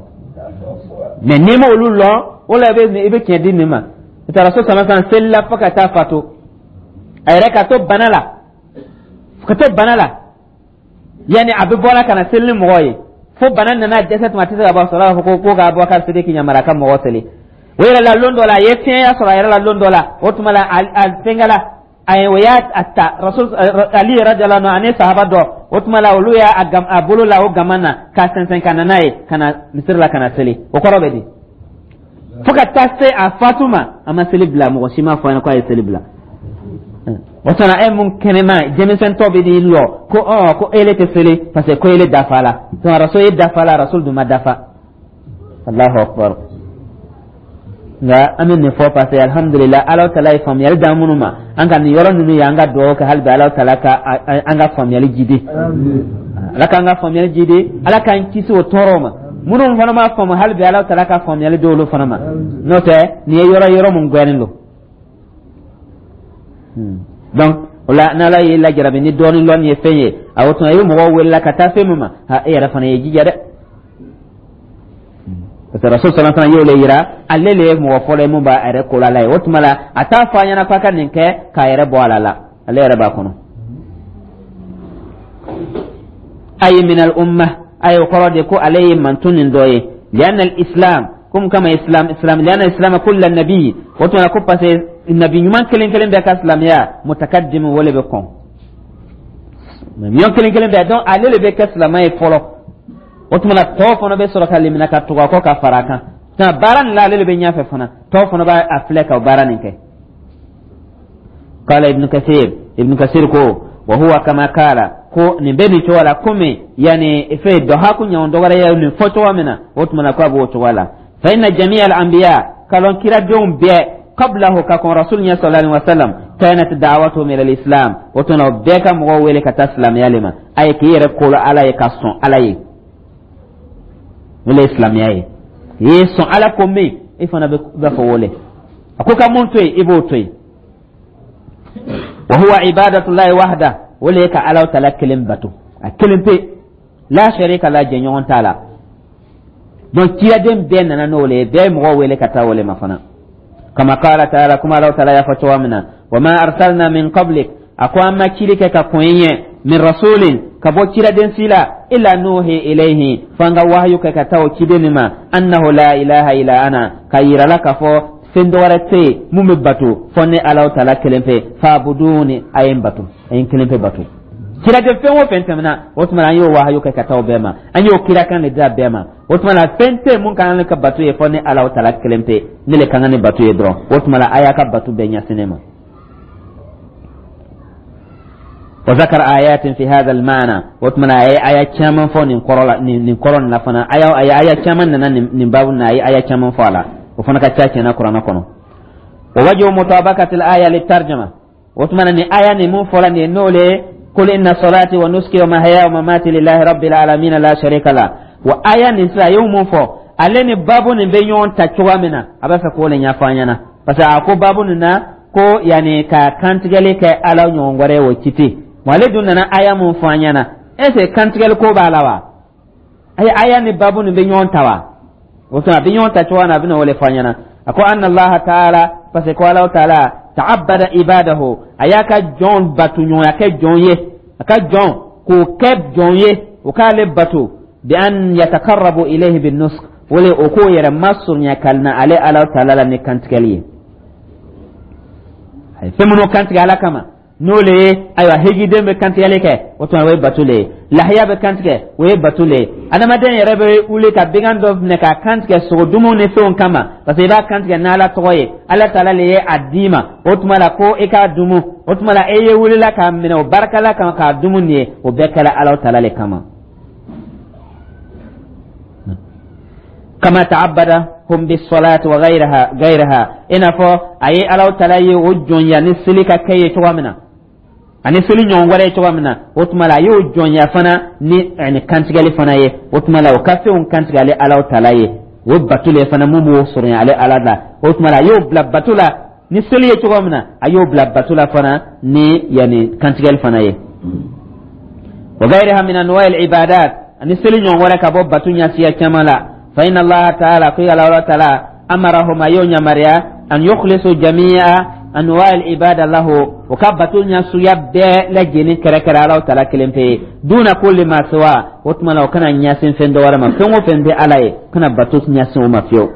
Mɛ n'i ma olu lɔn, o la i bɛ i bɛ tiɲɛ di nin ma. N'o tɛ, Rasul sallallahu alaihi wasallam selila fo ka taa fatu, a yɛrɛ ka to bana la, ka to bana la, yanni a bɛ bɔra ka na seli ni mɔgɔw ye, fo bana nana dɛsɛ tuma a tɛ se ka bɔ sɔrɔ, a b'a fɔ ko ko k'a bɔ ka seli k'i yamaruya ka mɔgɔ seli. O yɛrɛ la, lon dɔ la, a ye fiɲɛya sɔrɔ a yɛrɛ la lon dɔ la. O tuma la, a fɛnkɛ la, a ye o y'a ta Rasul Ali radiyallahu anhu ani sahaba dɔ. O tuma la, olu y'a a bolo la o gama na k'a sɛnsɛn ka na n'a ye ka na misiri la ka na seli. O kɔrɔ bɛ di? Fo ka taa se a fatu ma, a ma seli bila. Mɔgɔ si ma fɔ a ɲɛna k'a ye seli bila. O tuma e mun kɛnɛma denmisɛntɔ bɛ n'i lɔ ko ɔ ko ele tɛ seli parce que ko ele dafa la, donc Rasul ye dafa la, Rasul dun ma dafa. Allahu akbar. Nka an bɛ nin fɔ parce que alhamdulillah, Ala taala ye faamuyali d'an minnu ma, an ka nin yɔrɔ ninnu ye, an ka dugawu kɛ hali bi Ala taala ka an ka faamuyali jidi, Ala k'an ka faamuyali jidi, Ala k'an kisi o tɔɔrɔ ma. Minnu fana m'a faamu, hali bi Ala taala ka faamuyali di olu fana ma. N'o tɛ, nin ye yɔrɔ yɔrɔ mun gbɛnnen don. Donc o la, n'Ala y'i lajarabi ni dɔɔni lɔnni ye fɛn ye, a o tuma i bɛ mɔgɔw wele ka taa fɛn min ma, ha, e yɛrɛ fana ye jija dɛ, parce que Rasul sallallahu alaihi wasallam y'o le yira, ale le ye mɔgɔ fɔlɔ ye mun b'a yɛrɛ ko la ye. O tuma la, a t'a fɔ a ɲɛna k'a ka nin kɛ k'a yɛrɛ bɔ a la la ale yɛrɛ b'a kɔnɔ. Ayi min al umma, ayi, o kɔrɔ de ko ale ye mantun nin dɔ ye. Lianna al islam comme kama islam islam lianna islam kulla nabi, o tuma la ko parce que nabi ɲuman kelen kelen bɛɛ ka silamɛya mutakaddim, wale bɛ kɔn ɲuman kelen kelen bɛɛ. Donc ale le bɛ kɛ silamɛ ye fɔlɔ, o tuma la tɔw fana bɛ sɔrɔ ka limina ka tugu a kɔ ka fara a kan. Nka baara nin la, ale de bɛ ɲɛfɛ fana, tɔw fana b'a a filɛ ka baara nin kɛ. Qala Ibn Kathir, Ibn Kathir ko wa huwa kama qala, ko nin bɛ nin cogo la, komi yani fɛn dɔhaku ɲɔgɔn dɔwɛrɛ ye nin fɔ cogo min na, o tuma na ko a b'o cogo la. Fa inna jami'a al-anbiya, kalon kiradenw bɛɛ, qablahu, ka kɔn Rasul ɲɛ sallallahu alaihi wasallam, kanat da'watuhum ila al-islam, o tuma o bɛɛ ka mɔgɔw wele ka taa silamɛya le ma. A ye k'i yɛrɛ kolo Ala ye, ka sɔn Ala ye, o le ye silamɛya ye. I ye sɔn Ala ko min, i fana bɛ b'a fɔ wele a ko ka mun to yen, i b'o to yen. Wa huwa ibadatullahi wahda, o le ye ka Ala taala kelen bato, a kelen pe, la sharika la, jɛɲɔgɔn t'a la. Donc ciraden bɛɛ nana n'o le ye, bɛɛ ye mɔgɔw wele ka taa o le ma fana. Kama qala taala, kuma Ala taala y'a fɔ cogoya min na: wa ma arsalna min qablik, a ko an ma cili kɛ ka kɔn i ɲɛ, min rasulin, ka bɔ ciraden si la, illa nuhi ilayhi, fo an ka wahayu kɛ ka taa o ciden nin ma, annahu la ilaha illa ana, ka yira la k'a fɔ fɛn dɔ wɛrɛ tɛ yen mun bɛ bato fɔ ne Ala taala kelen pe, fa'buduni, a ye n bato, a ye n kelen pe bato. Ciraden fɛn o fɛn tɛmɛna, o tuma an y'o wahayu kɛ ka taa o bɛɛ ma, an y'o kirakan de d'a bɛɛ ma. O tuma na, fɛn tɛ mun ka kan ka bato ye fɔ ne Ala taala kelen pe, ne le ka kan ni bato ye dɔrɔn. O tuma na, a y'a ka bato bɛɛ ɲɛsin ne ma. Wa zakara ayatin fi hadha al-ma'na, o tuma na a ye aya caman fɔ nin kɔrɔ la, nin kɔrɔ nin na fana. Aya aya aya caman nana nin baabu na, a ye aya caman fɔ a la, o fana ka ca tiɲɛna Kuranɛ kɔnɔ. Wa wajhu mutabaqati al-aya litarjama, o tuma na nin aya nin mun fɔla nin ye, n'o le qul inna salati wa nusuki wa mahyaya wa mamati lillahi rabbil alamin la sharika la, wa aya nin sisan a ye mun fɔ, ale ni baabu nin bɛ ɲɔgɔn ta cogoya min na, a b'a fɛ k'o le ɲɛfɔ an ɲɛna, parce que a ko baabu nin na ko yanni ka kantigɛli kɛ Ala ɲɔgɔn wɛrɛ ye, o ci tɛ. Wa ale dun nana aya mun fɔ an ɲɛna, est ce que kantigɛli ko b'a la wa? Ayi, aya ni baabu nin bɛ ɲɔgɔn ta wa? O tuma a bɛ ɲɔgɔn ta cogoya min na, a bɛna o le fɔ an ɲɛna. A ko anna Allaha taala, parce que ko Ala taala ta'abbada ibadahu, a y'a ka jɔn bato ɲɔgɔnya kɛ jɔn ye, a ka jɔn k'o kɛ jɔn ye, o k'ale bato, bi an yatakarrabu ilayhi bin nusuk, o le o k'o yɛrɛ masurunya ka na ale Ala taala la ni kantigɛli ye. A ye fɛn minnu kantigɛ Ala kama, n'o le ye, ayiwa, hejiden bɛ kantigɛli kɛ, o tuma o ye bato le ye. Lahiya bɛ kantigɛ, o ye bato le ye. Adamaden yɛrɛ bɛ wuli ka bɛgan dɔ minɛ k'a kantigɛ sogodumu ni fɛnw kama, parce que i b'a kantigɛ n'Ala tɔgɔ ye, Ala taala le ye a d'i ma, o tuma la ko i k'a dumu. O tuma la e ye wulila k'a minɛ o barika la kama k'a dumu nin ye, o bɛɛ kɛra Ala taala le kama. Kama ta'abbada hum bis-salati wa ghayriha ghayriha, i n'a fɔ a ye Ala taala ye o jɔnya ni seli ka kɛ ye cogoya min na, ani seli ɲɔgɔn wɛrɛ ye cogoya min na, o tuma la a y'o jɔnya fana ni ani kantigɛli fana ye. O tuma la o ka fɛnw kantigɛ ale Ala taala ye, o bato le fana mun b'o sɔrɔ ale Ala la. O tuma la a y'o bila bato la ni seli ye cogoya min na, a y'o bila bato la fana ni yanni kantigɛli fana ye. Wa ghayriha min anwa' al-ibadat, ani seli ɲɔgɔn wɛrɛ ka bɔ bato ɲɛsiya caman la. Fa inna Allaha ta'ala, ko Ala ta'ala, amarahum, a y'o yamaruya, an yukhlisu jami'a anwa' al-ibada lahu, o ka bato ɲɛsuguya bɛɛ lajɛlen kɛrɛkɛrɛ Ala ta'ala kelen pe ye, duna kulli ma siwa, o tuma na o kana ɲɛsin fɛn dɔ wɛrɛ ma, fɛn o fɛn tɛ Ala ye, o kana bato ɲɛsin o ma fiyewu.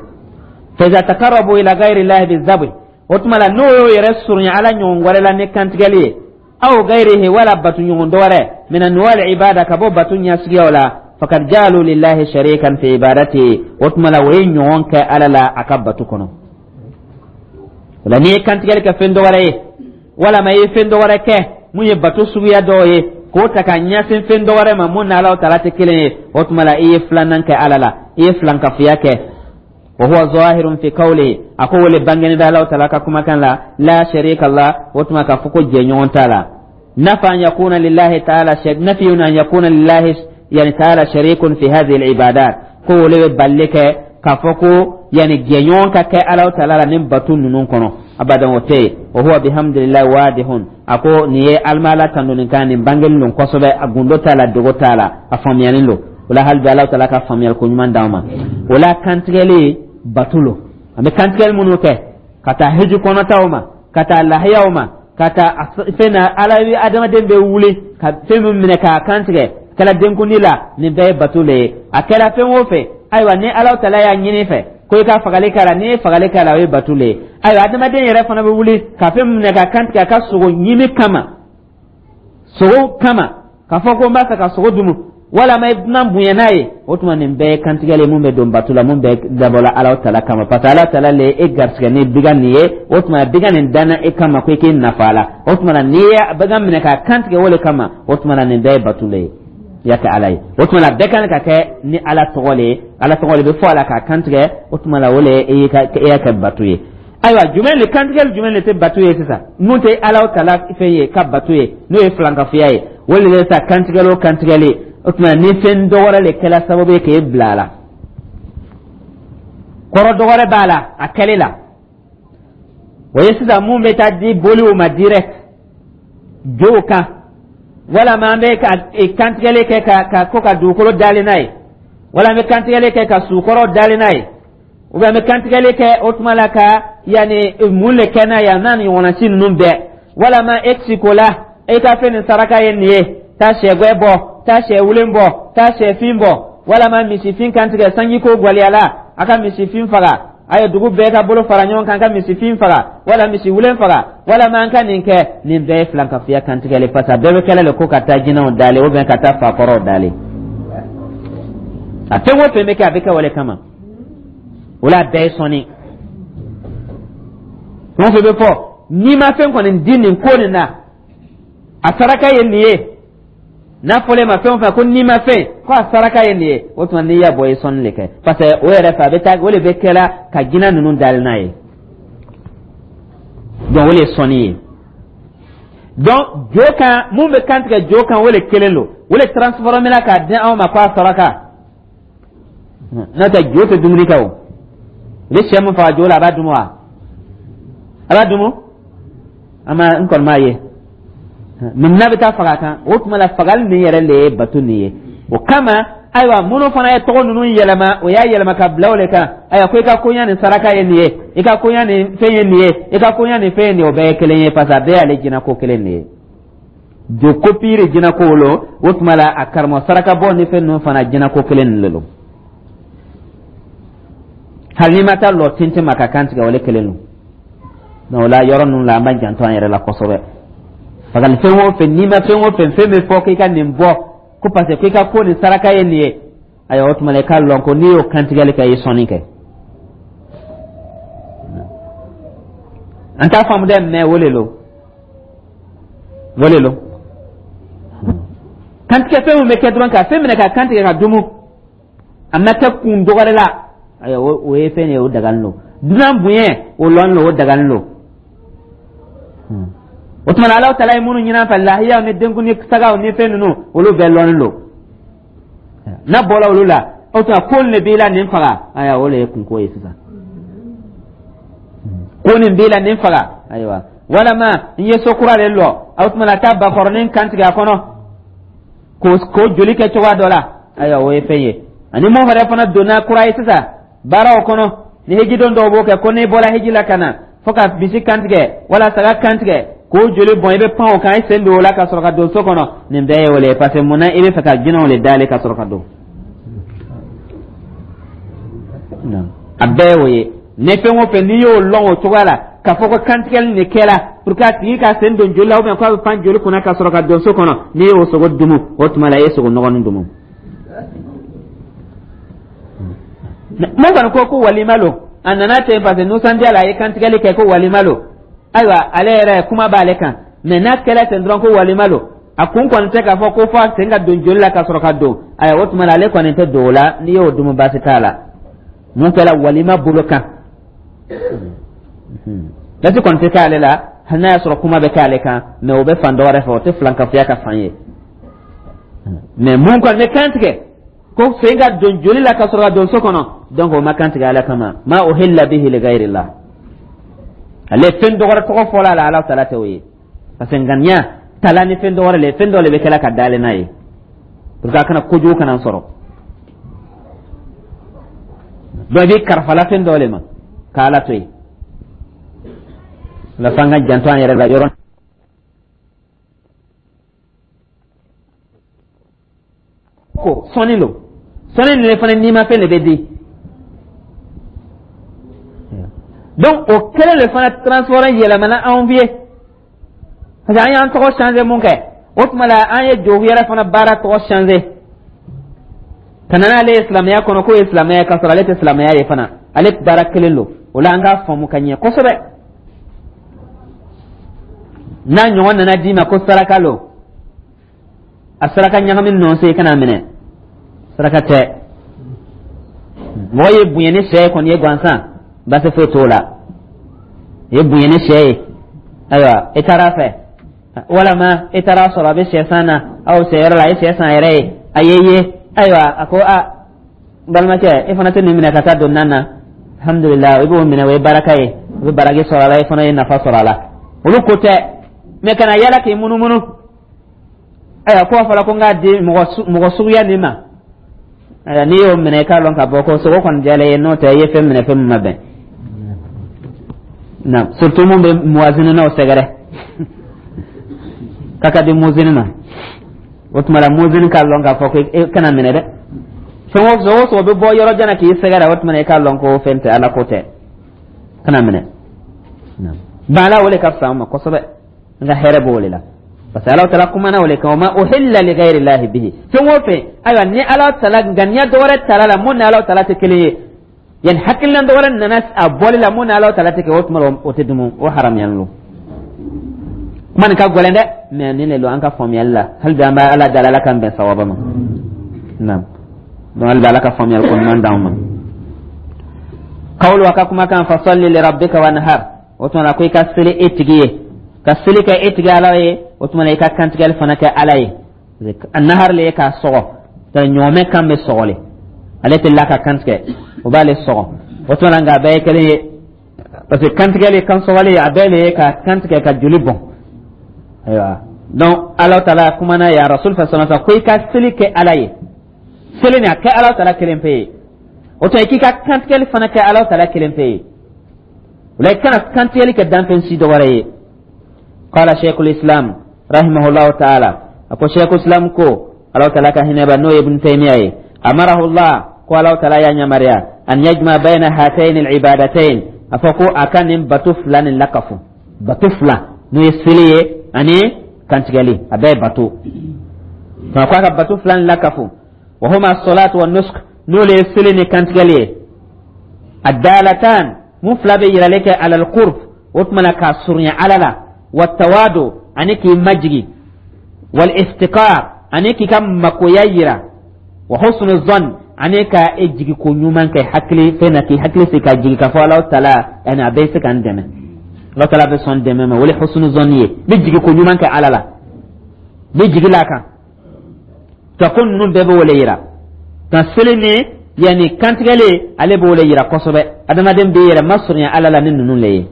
Fa iza taqarrabu ila ghayri Allahi bizabh, o tuma la n'o y'o yɛrɛ surunya Ala ɲɔgɔn wɛrɛ la ni kantigɛli ye, aw ghayrihi, wala bato ɲɔgɔn dɔ wɛrɛ, min anwa' al-ibada, ka bɔ bato ɲɛsuguyaw la, fakad ja'alu lillahi sharikan fi ibadatihi, o tuma la o ye ɲɔgɔn kɛ Ala la a ka bato kɔnɔ. O la n'i ye kantigɛli kɛ fɛn dɔ wɛrɛ ye, walama i ye fɛn dɔ wɛrɛ kɛ mun ye bato suguya dɔw ye, k'o ta ka ɲɛsin fɛn dɔ wɛrɛ ma mun ni Ala taala tɛ kelen ye, o tuma la i ye filanan kɛ Ala la, i ye filankafoya kɛ. Wa huwa zahirun fi qawli, a ko wole bangeni bɛ Alahu Taala ka kumakan la, la sharika la, o tuma k'a fɔ ko jɛɲɔgɔn t'a la. Nafa an yakuna lillahi ta'ala, nafiyun an yakuna lillahi yani ta'ala sharikun fi hadhihi al-ibadat, ko wole bɛ balili kɛ k'a fɔ ko yani jɛɲɔgɔn ka kɛ Alahu Taala la nin batu ninnu kɔnɔ, abadan, o tɛ yen. Wa huwa bihamdillahi wadihun, a ko nin ye alimala tandoni kan, nin bangeli don kosɛbɛ, a gundo t'a la, dogo t'a la, a faamuyalen don. O la, hali bi Alahu Taala ka faamuyali ko ɲuman d'an ma. O la, kantigɛli batu lo. An bɛ kantigɛli minnu kɛ, ka taa hiji kɔnɔtaw ma, ka taa lahiyaw ma, ka taa fɛn na, Ala bɛ adamaden bɛ wuli ka fɛn min minɛ k'a kantigɛ, kɛra denkundi la, nin bɛɛ ye bato le ye. A kɛra fɛn o fɛn, ayiwa, ni Ala Taala y'a ɲini fɛ ko i ka fagali k'a la, n'i ye fagali k'a la, o ye bato le ye. Ayiwa, adamaden yɛrɛ fana bɛ wuli ka fɛn min minɛ ka kantigɛ a ka sogo ɲimi kama, sogo kama, k'a fɔ ko n b'a fɛ ka sogo dumu, walama i dunan bonya n'a ye, o tuma nin bɛɛ ye kantigɛli mun bɛ don bato la, mun bɛ dabɔla Ala Taala kama, parce que Ala Taala le ye e garisigɛ ni bigan nin ye. O tuma bigan nin danna e kama ko i k'i nafa a la. O tuma na, n'i ye bagan minɛ k'a kantigɛ o le kama, o tuma na nin bɛɛ ye bato le ye i y'a kɛ Ala ye. O tuma na, bɛɛ kan ka kɛ ni Ala tɔgɔ le ye, Ala tɔgɔ le bɛ fɔ a la k'a kantigɛ. O tuma na, o le ye e y'a kɛ bato ye. Ayiwa, jumɛn le kantigɛli jumɛn le tɛ bato ye sisan, mun tɛ Ala Taala fɛn ye ka bato ye, n'o ye filankafoya ye? O le bɛ sa kantigɛli o kantigɛli, o tuma ni fɛn dɔ wɛrɛ le kɛla sababu ye k'e bila a la, kɔrɔ dɔ wɛrɛ b'a la a kɛli la, o ye sisan mun bɛ taa di boliw ma direct jow kan, walama an bɛ ka kantigɛli kɛ ka ka ko ka dugukolo dalen n'a ye, wala an bɛ kantigɛli kɛ ka sukɔrɔ dalen n'a ye, ou bien an bɛ kantigɛli kɛ o tuma la ka yanni mun le kɛ n'a ye, a n'a ɲɔgɔnna si ninnu bɛɛ, walama e siko la, e ka fɛn nin saraka ye nin ye, taa sɛgɛn bɔ, taa sɛ wulen bɔ, taa sɛfin bɔ, walama misifin kantigɛ, sanji ko gwaliyala, a ka misifin faga, a ye dugu bɛɛ ka bolo fara ɲɔgɔn kan ka misifin faga, wala misi wulen faga, walama an ka nin kɛ, nin bɛɛ ye filankafoya kantigɛli, parce que a bɛɛ bɛ kɛlɛ le ko ka taa jinɛw dalen ou bien ka taa fakɔrɔw dalen. A fɛn o fɛn bɛ kɛ, a bɛ kɛ o le kama. O la, a bɛɛ ye sɔnni. Fɛn o fɛn bɛ fɔ, n'i ma fɛn kɔni di nin ko nin na, a saraka ye nin ye. N'a fɔlen ma fɛn o fɛn ko n'i ma fɛn ko a saraka ye nin ye, o tuma n'i y'a bɔ, i ye sɔnni de kɛ, parce que o yɛrɛ fɛ, a bɛ taa o de bɛ kɛla ka jinɛ ninnu dalen n'a ye. Donc o de ye sɔnni ye. Donc jo kan, mun bɛ kan tigɛ jo kan, o de kelen don, o de transformé la k'a di anw ma ko a saraka. N'o tɛ, jo tɛ dumuni kɛ. O i bɛ sɛ min faga jo la, a b'a dun wa? A b'a dun? An ma, n kɔni m'a ye. Mɛ n'a bɛ taa faga kan, o tuma la fagali nin yɛrɛ le ye bato nin ye. O kama, ayiwa, minnu fana ye tɔgɔ ninnu yɛlɛma, o y'a yɛlɛma ka bila o de kan. Ayiwa, ko i ka koɲa nin saraka ye nin ye, i ka koɲa nin fɛn ye nin ye, i ka koɲa nin fɛn ye nin ye, o bɛɛ ye kelen ye, parce que a bɛɛ y'ale jinɛko kelen de ye. Jo kopiiri jinɛko lo. O tuma la, a karamɔgɔ saraka bɔ ni fɛn ninnu fana, jinɛko kelen nin de don. Hali n'i ma taa lɔ tintin ma ka kan tigɛ, o le kelen don. Donc o la, yɔrɔ ninnu la, an b'an janto an yɛrɛ la kosɛbɛ. Fagali fɛn o fɛn, n'i ma fɛn o fɛn, fɛn bɛ fɔ k'i ka nin bɔ ko parce que k'i ka ko nin saraka ye nin ye, ayiwa, o tuma la i k'a lɔn ko n'i y'o kantigɛli kɛ, i ye sɔnni kɛ. An t'a faamu dɛ, mɛ o le lo, o le lo. Kantigɛ fɛn min bɛ kɛ dɔrɔn ka fɛn minɛ ka kantigɛ ka dumu, a ma kɛ kun dɔ wɛrɛ la, ayiwa, o ye fɛn ye, o dagalen don. Dunan bonya, o lɔn lo, o dagalen don. O tuma na, Ala Taala ye minnu ɲini an fɛ, lahiyaw ni denkundi sagaw ni fɛn ninnu, olu bɛɛ lɔnnen don. N'a bɔra olu la, o tuma ko nin de b'i la, nin faga, ayiwa, o de ye kunko ye sisan. Ko nin b'i la, nin faga, ayiwa, walama n ye so kura de lɔ, o tuma na taa bakɔrɔnin kan tigɛ a kɔnɔ k'o k'o joli kɛ cogoya dɔ la, ayiwa, o ye fɛn ye. Ani mun yɛrɛ fana donna kura ye sisan baaraw kɔnɔ, ni hijidon dɔw b'o kɛ, ko n'i bɔra hiji la ka na fo ka misi kantigɛ wala saga kantigɛ k'o joli bɔn, i bɛ pan o kan, i sen don o la ka sɔrɔ ka don so kɔnɔ, nin bɛɛ ye o le ye, parce que munna i bɛ fɛ ka jinɛw le dalen ka sɔrɔ ka don? A bɛɛ ye o ye. Ni fɛn o fɛn n'i y'o lɔn o cogoya la, k'a fɔ ko kantigɛli nin kɛra pour que a tigi ka sen don joli la, ou bien k'a bɛ pan joli kunna ka sɔrɔ ka don so kɔnɔ, n'i y'o sogo dumu, o tuma la i ye sogo nɔgɔnin dumu. Mun kɔni ko ko walima lo, a nana ten parce que nisɔndiya la, a ye kantigɛli kɛ ko walima lo, ayiwa, ale yɛrɛ kuma b'ale kan. Mɛ n'a kɛra ten dɔrɔn ko walima lo, a kun kɔni tɛ k'a fɔ ko fo a sen ka don joli la ka sɔrɔ ka don, ayiwa, o tuma na ale kɔni tɛ don o la. N'i y'o dumu, baasi t'a la. Mun kɛra walima bolo kan, lati kɔni tɛ k'ale la, hali n'a y'a sɔrɔ kuma bɛ k'ale kan, mais o bɛ fan dɔ wɛrɛ fɛ, o tɛ filankafoya ka fan ye. Mais mun kɔni bɛ kan tigɛ ko sen ka don joli la ka sɔrɔ ka don so kɔnɔ, donc o ma kan tigɛ Ala kama. Ma uhilla bihi li ghayrillah, ale fɛn dɔ wɛrɛ tɔgɔ fɔla a la, Ala tala tɛ o ye, parce que ŋaniya tala ni fɛn dɔ wɛrɛ le, fɛn dɔ le bɛ kɛla ka dalen n'a ye pour que a kana kojugu kana sɔrɔ. Donc i bɛ karifala fɛn dɔ le ma k'Ala to yen la, f'an ka janto an yɛrɛ la yɔrɔ. Ko sɔnni lo, sɔnni nin fana nimafɛn de bɛ di. Donc o kelen de fana transport yɛlɛmana anw ye, parce que an y'an tɔgɔ changer mun kɛ, o tuma la an ye jogo yɛrɛ fana baara tɔgɔ changer ka na n'ale ye silamɛya kɔnɔ, k'o ye silamɛya, k'a sɔrɔ ale tɛ silamɛya ye fana, ale baara kelen don. O la an k'a faamu ka ɲɛ kosɛbɛ. N'a ɲɔgɔn nana d'i ma ko saraka lo, a saraka ɲagami nɔ se, i kana minɛ, saraka tɛ. Mɔgɔ ye bonya ni sɛ ye kɔni ye gansan, baasi foyi t'o la. I ye bonya ni sɛ ye, ayiwa, i taara a fɛ, walama i taara sɔrɔ a bɛ sɛ san na aw sɛ yɔrɔ la, a ye sɛ san yɛrɛ ye, a ye ye, ayiwa, a ko a balimakɛ, e fana tɛ nin minɛ ka taa don nan na, alhamdulilah, i b'o minɛ, o ye baraka ye, i bɛ baraji sɔrɔ a la, i fana ye nafa sɔrɔ a la. Olu ko tɛ, mɛ kana yala k'i munumunu, ayiwa, ko a fɔra ko n k'a di mɔgɔ suguya nin ma. Ayiwa, n'i y'o minɛ, i k'a lɔn k'a fɔ ko sogo kɔni diyara i ye, n'o tɛ i ye fɛn minɛ fɛn min ma bɛn na, surtout mun bɛ muwazininaw sɛgɛrɛ k'a ka di muzini ma. O tuma la muzini k'a lɔn k'a fɔ ko e kana minɛ dɛ, fɛn o sogo sogo bɛ bɔ yɔrɔ jan na k'i sɛgɛrɛ, o tuma na i k'a lɔn ko fɛn tɛ, Ala ko tɛ, kana minɛ. Baala o de ka fisa an ma kosɛbɛ, n ka hɛrɛ b'o de la, parce que Ala tala kumana o le kan, wa ma uhilla li ghayri llahi bihi. Fɛn o fɛn, ayiwa, ni Ala tala ŋaniya dɔ wɛrɛ tala la mun ni Ala tala tɛ kelen ye, yani hakilina dɔ wɛrɛ nana a bɔli la mun ni Ala tala tɛ kɛ, o tuma o tɛ dumu, o haramuyalen don. Kuma nin ka gɛlɛn dɛ, mais nin de don an ka faamuyali la. Hali bi an bɛ Ala dali, Ala k'an bɛn sawaba ma. Naam, donc hali bi Ala ka faamuyali ko ɲuman d'anw ma. Kawulu a ka kumakan fasalli li rabbika wanhar, o tuma la ko i ka seli e tigi ye, ka seli kɛ e tigi Ala ye, o tuma na i ka kantigɛli fana kɛ Ala ye. Nahar le ye k'a sɔgɔ, ɲɔgɔmɛ kan bɛ sɔgɔli, ale tɛ la ka kantigɛ, o b'ale sɔgɔ. O tuma na nka a bɛɛ ye kelen ye, parce que kantigɛli kan sɔgɔli a bɛɛ le ye ka kantigɛ ka joli bɔn. Ayiwa, donc Ala taala kumana ya rasul fa sallallahu ko i ka seli kɛ Ala ye, seli nin a kɛ Ala taala kelen pe ye, o tuma i k'i ka kantigɛli fana kɛ Ala taala kelen pe ye. O la i kana kantigɛli kɛ danfɛn si dɔ wɛrɛ ye. Qala sheikhul islam rahimahullahu ta'ala, ako sheikhul islam ko Ala taala ka hinɛ ba, n'o ye Ibn Taymiya ye, amarahu Allah, ko Ala taala y'a yamaruya an yajma bayna hatayn al-ibadatayn, a fɔ ko a ka nin bato fila nin lakafu, bato fila n'o ye seli ye ani kantigɛli, a bɛɛ ye bato, ko a ka bato fila nin lakafu, wa huma as-salatu wa nusuk, n'o le ye seli ni kantigɛli ye, addalatan, mun fila bɛ yirali kɛ ala al-qurb, o tuma na k'a surunya Ala la, wa tawadu, ani k'i majigi, wal iftiqar, ani k'i ka makoya yira, wa husnu zan, ani ka e jigi ko ɲuman kɛ hakili fɛn na, k'i hakili sigi ka jigi k'a fɔ Alahu taala ani a bɛ se ka n dɛmɛ, Alahu taala bɛ sɔn dɛmɛ ma, o le husnu zan ye, n bɛ jigi ko ɲuman kɛ Ala la, n bɛ jigi la kan ka ko ninnu bɛɛ bɛ o le yira ka seli ni yanni kantigɛli, ale b'o le yira kosɛbɛ, adamaden b'i yɛrɛ masurunya Ala la ni ninnu le ye.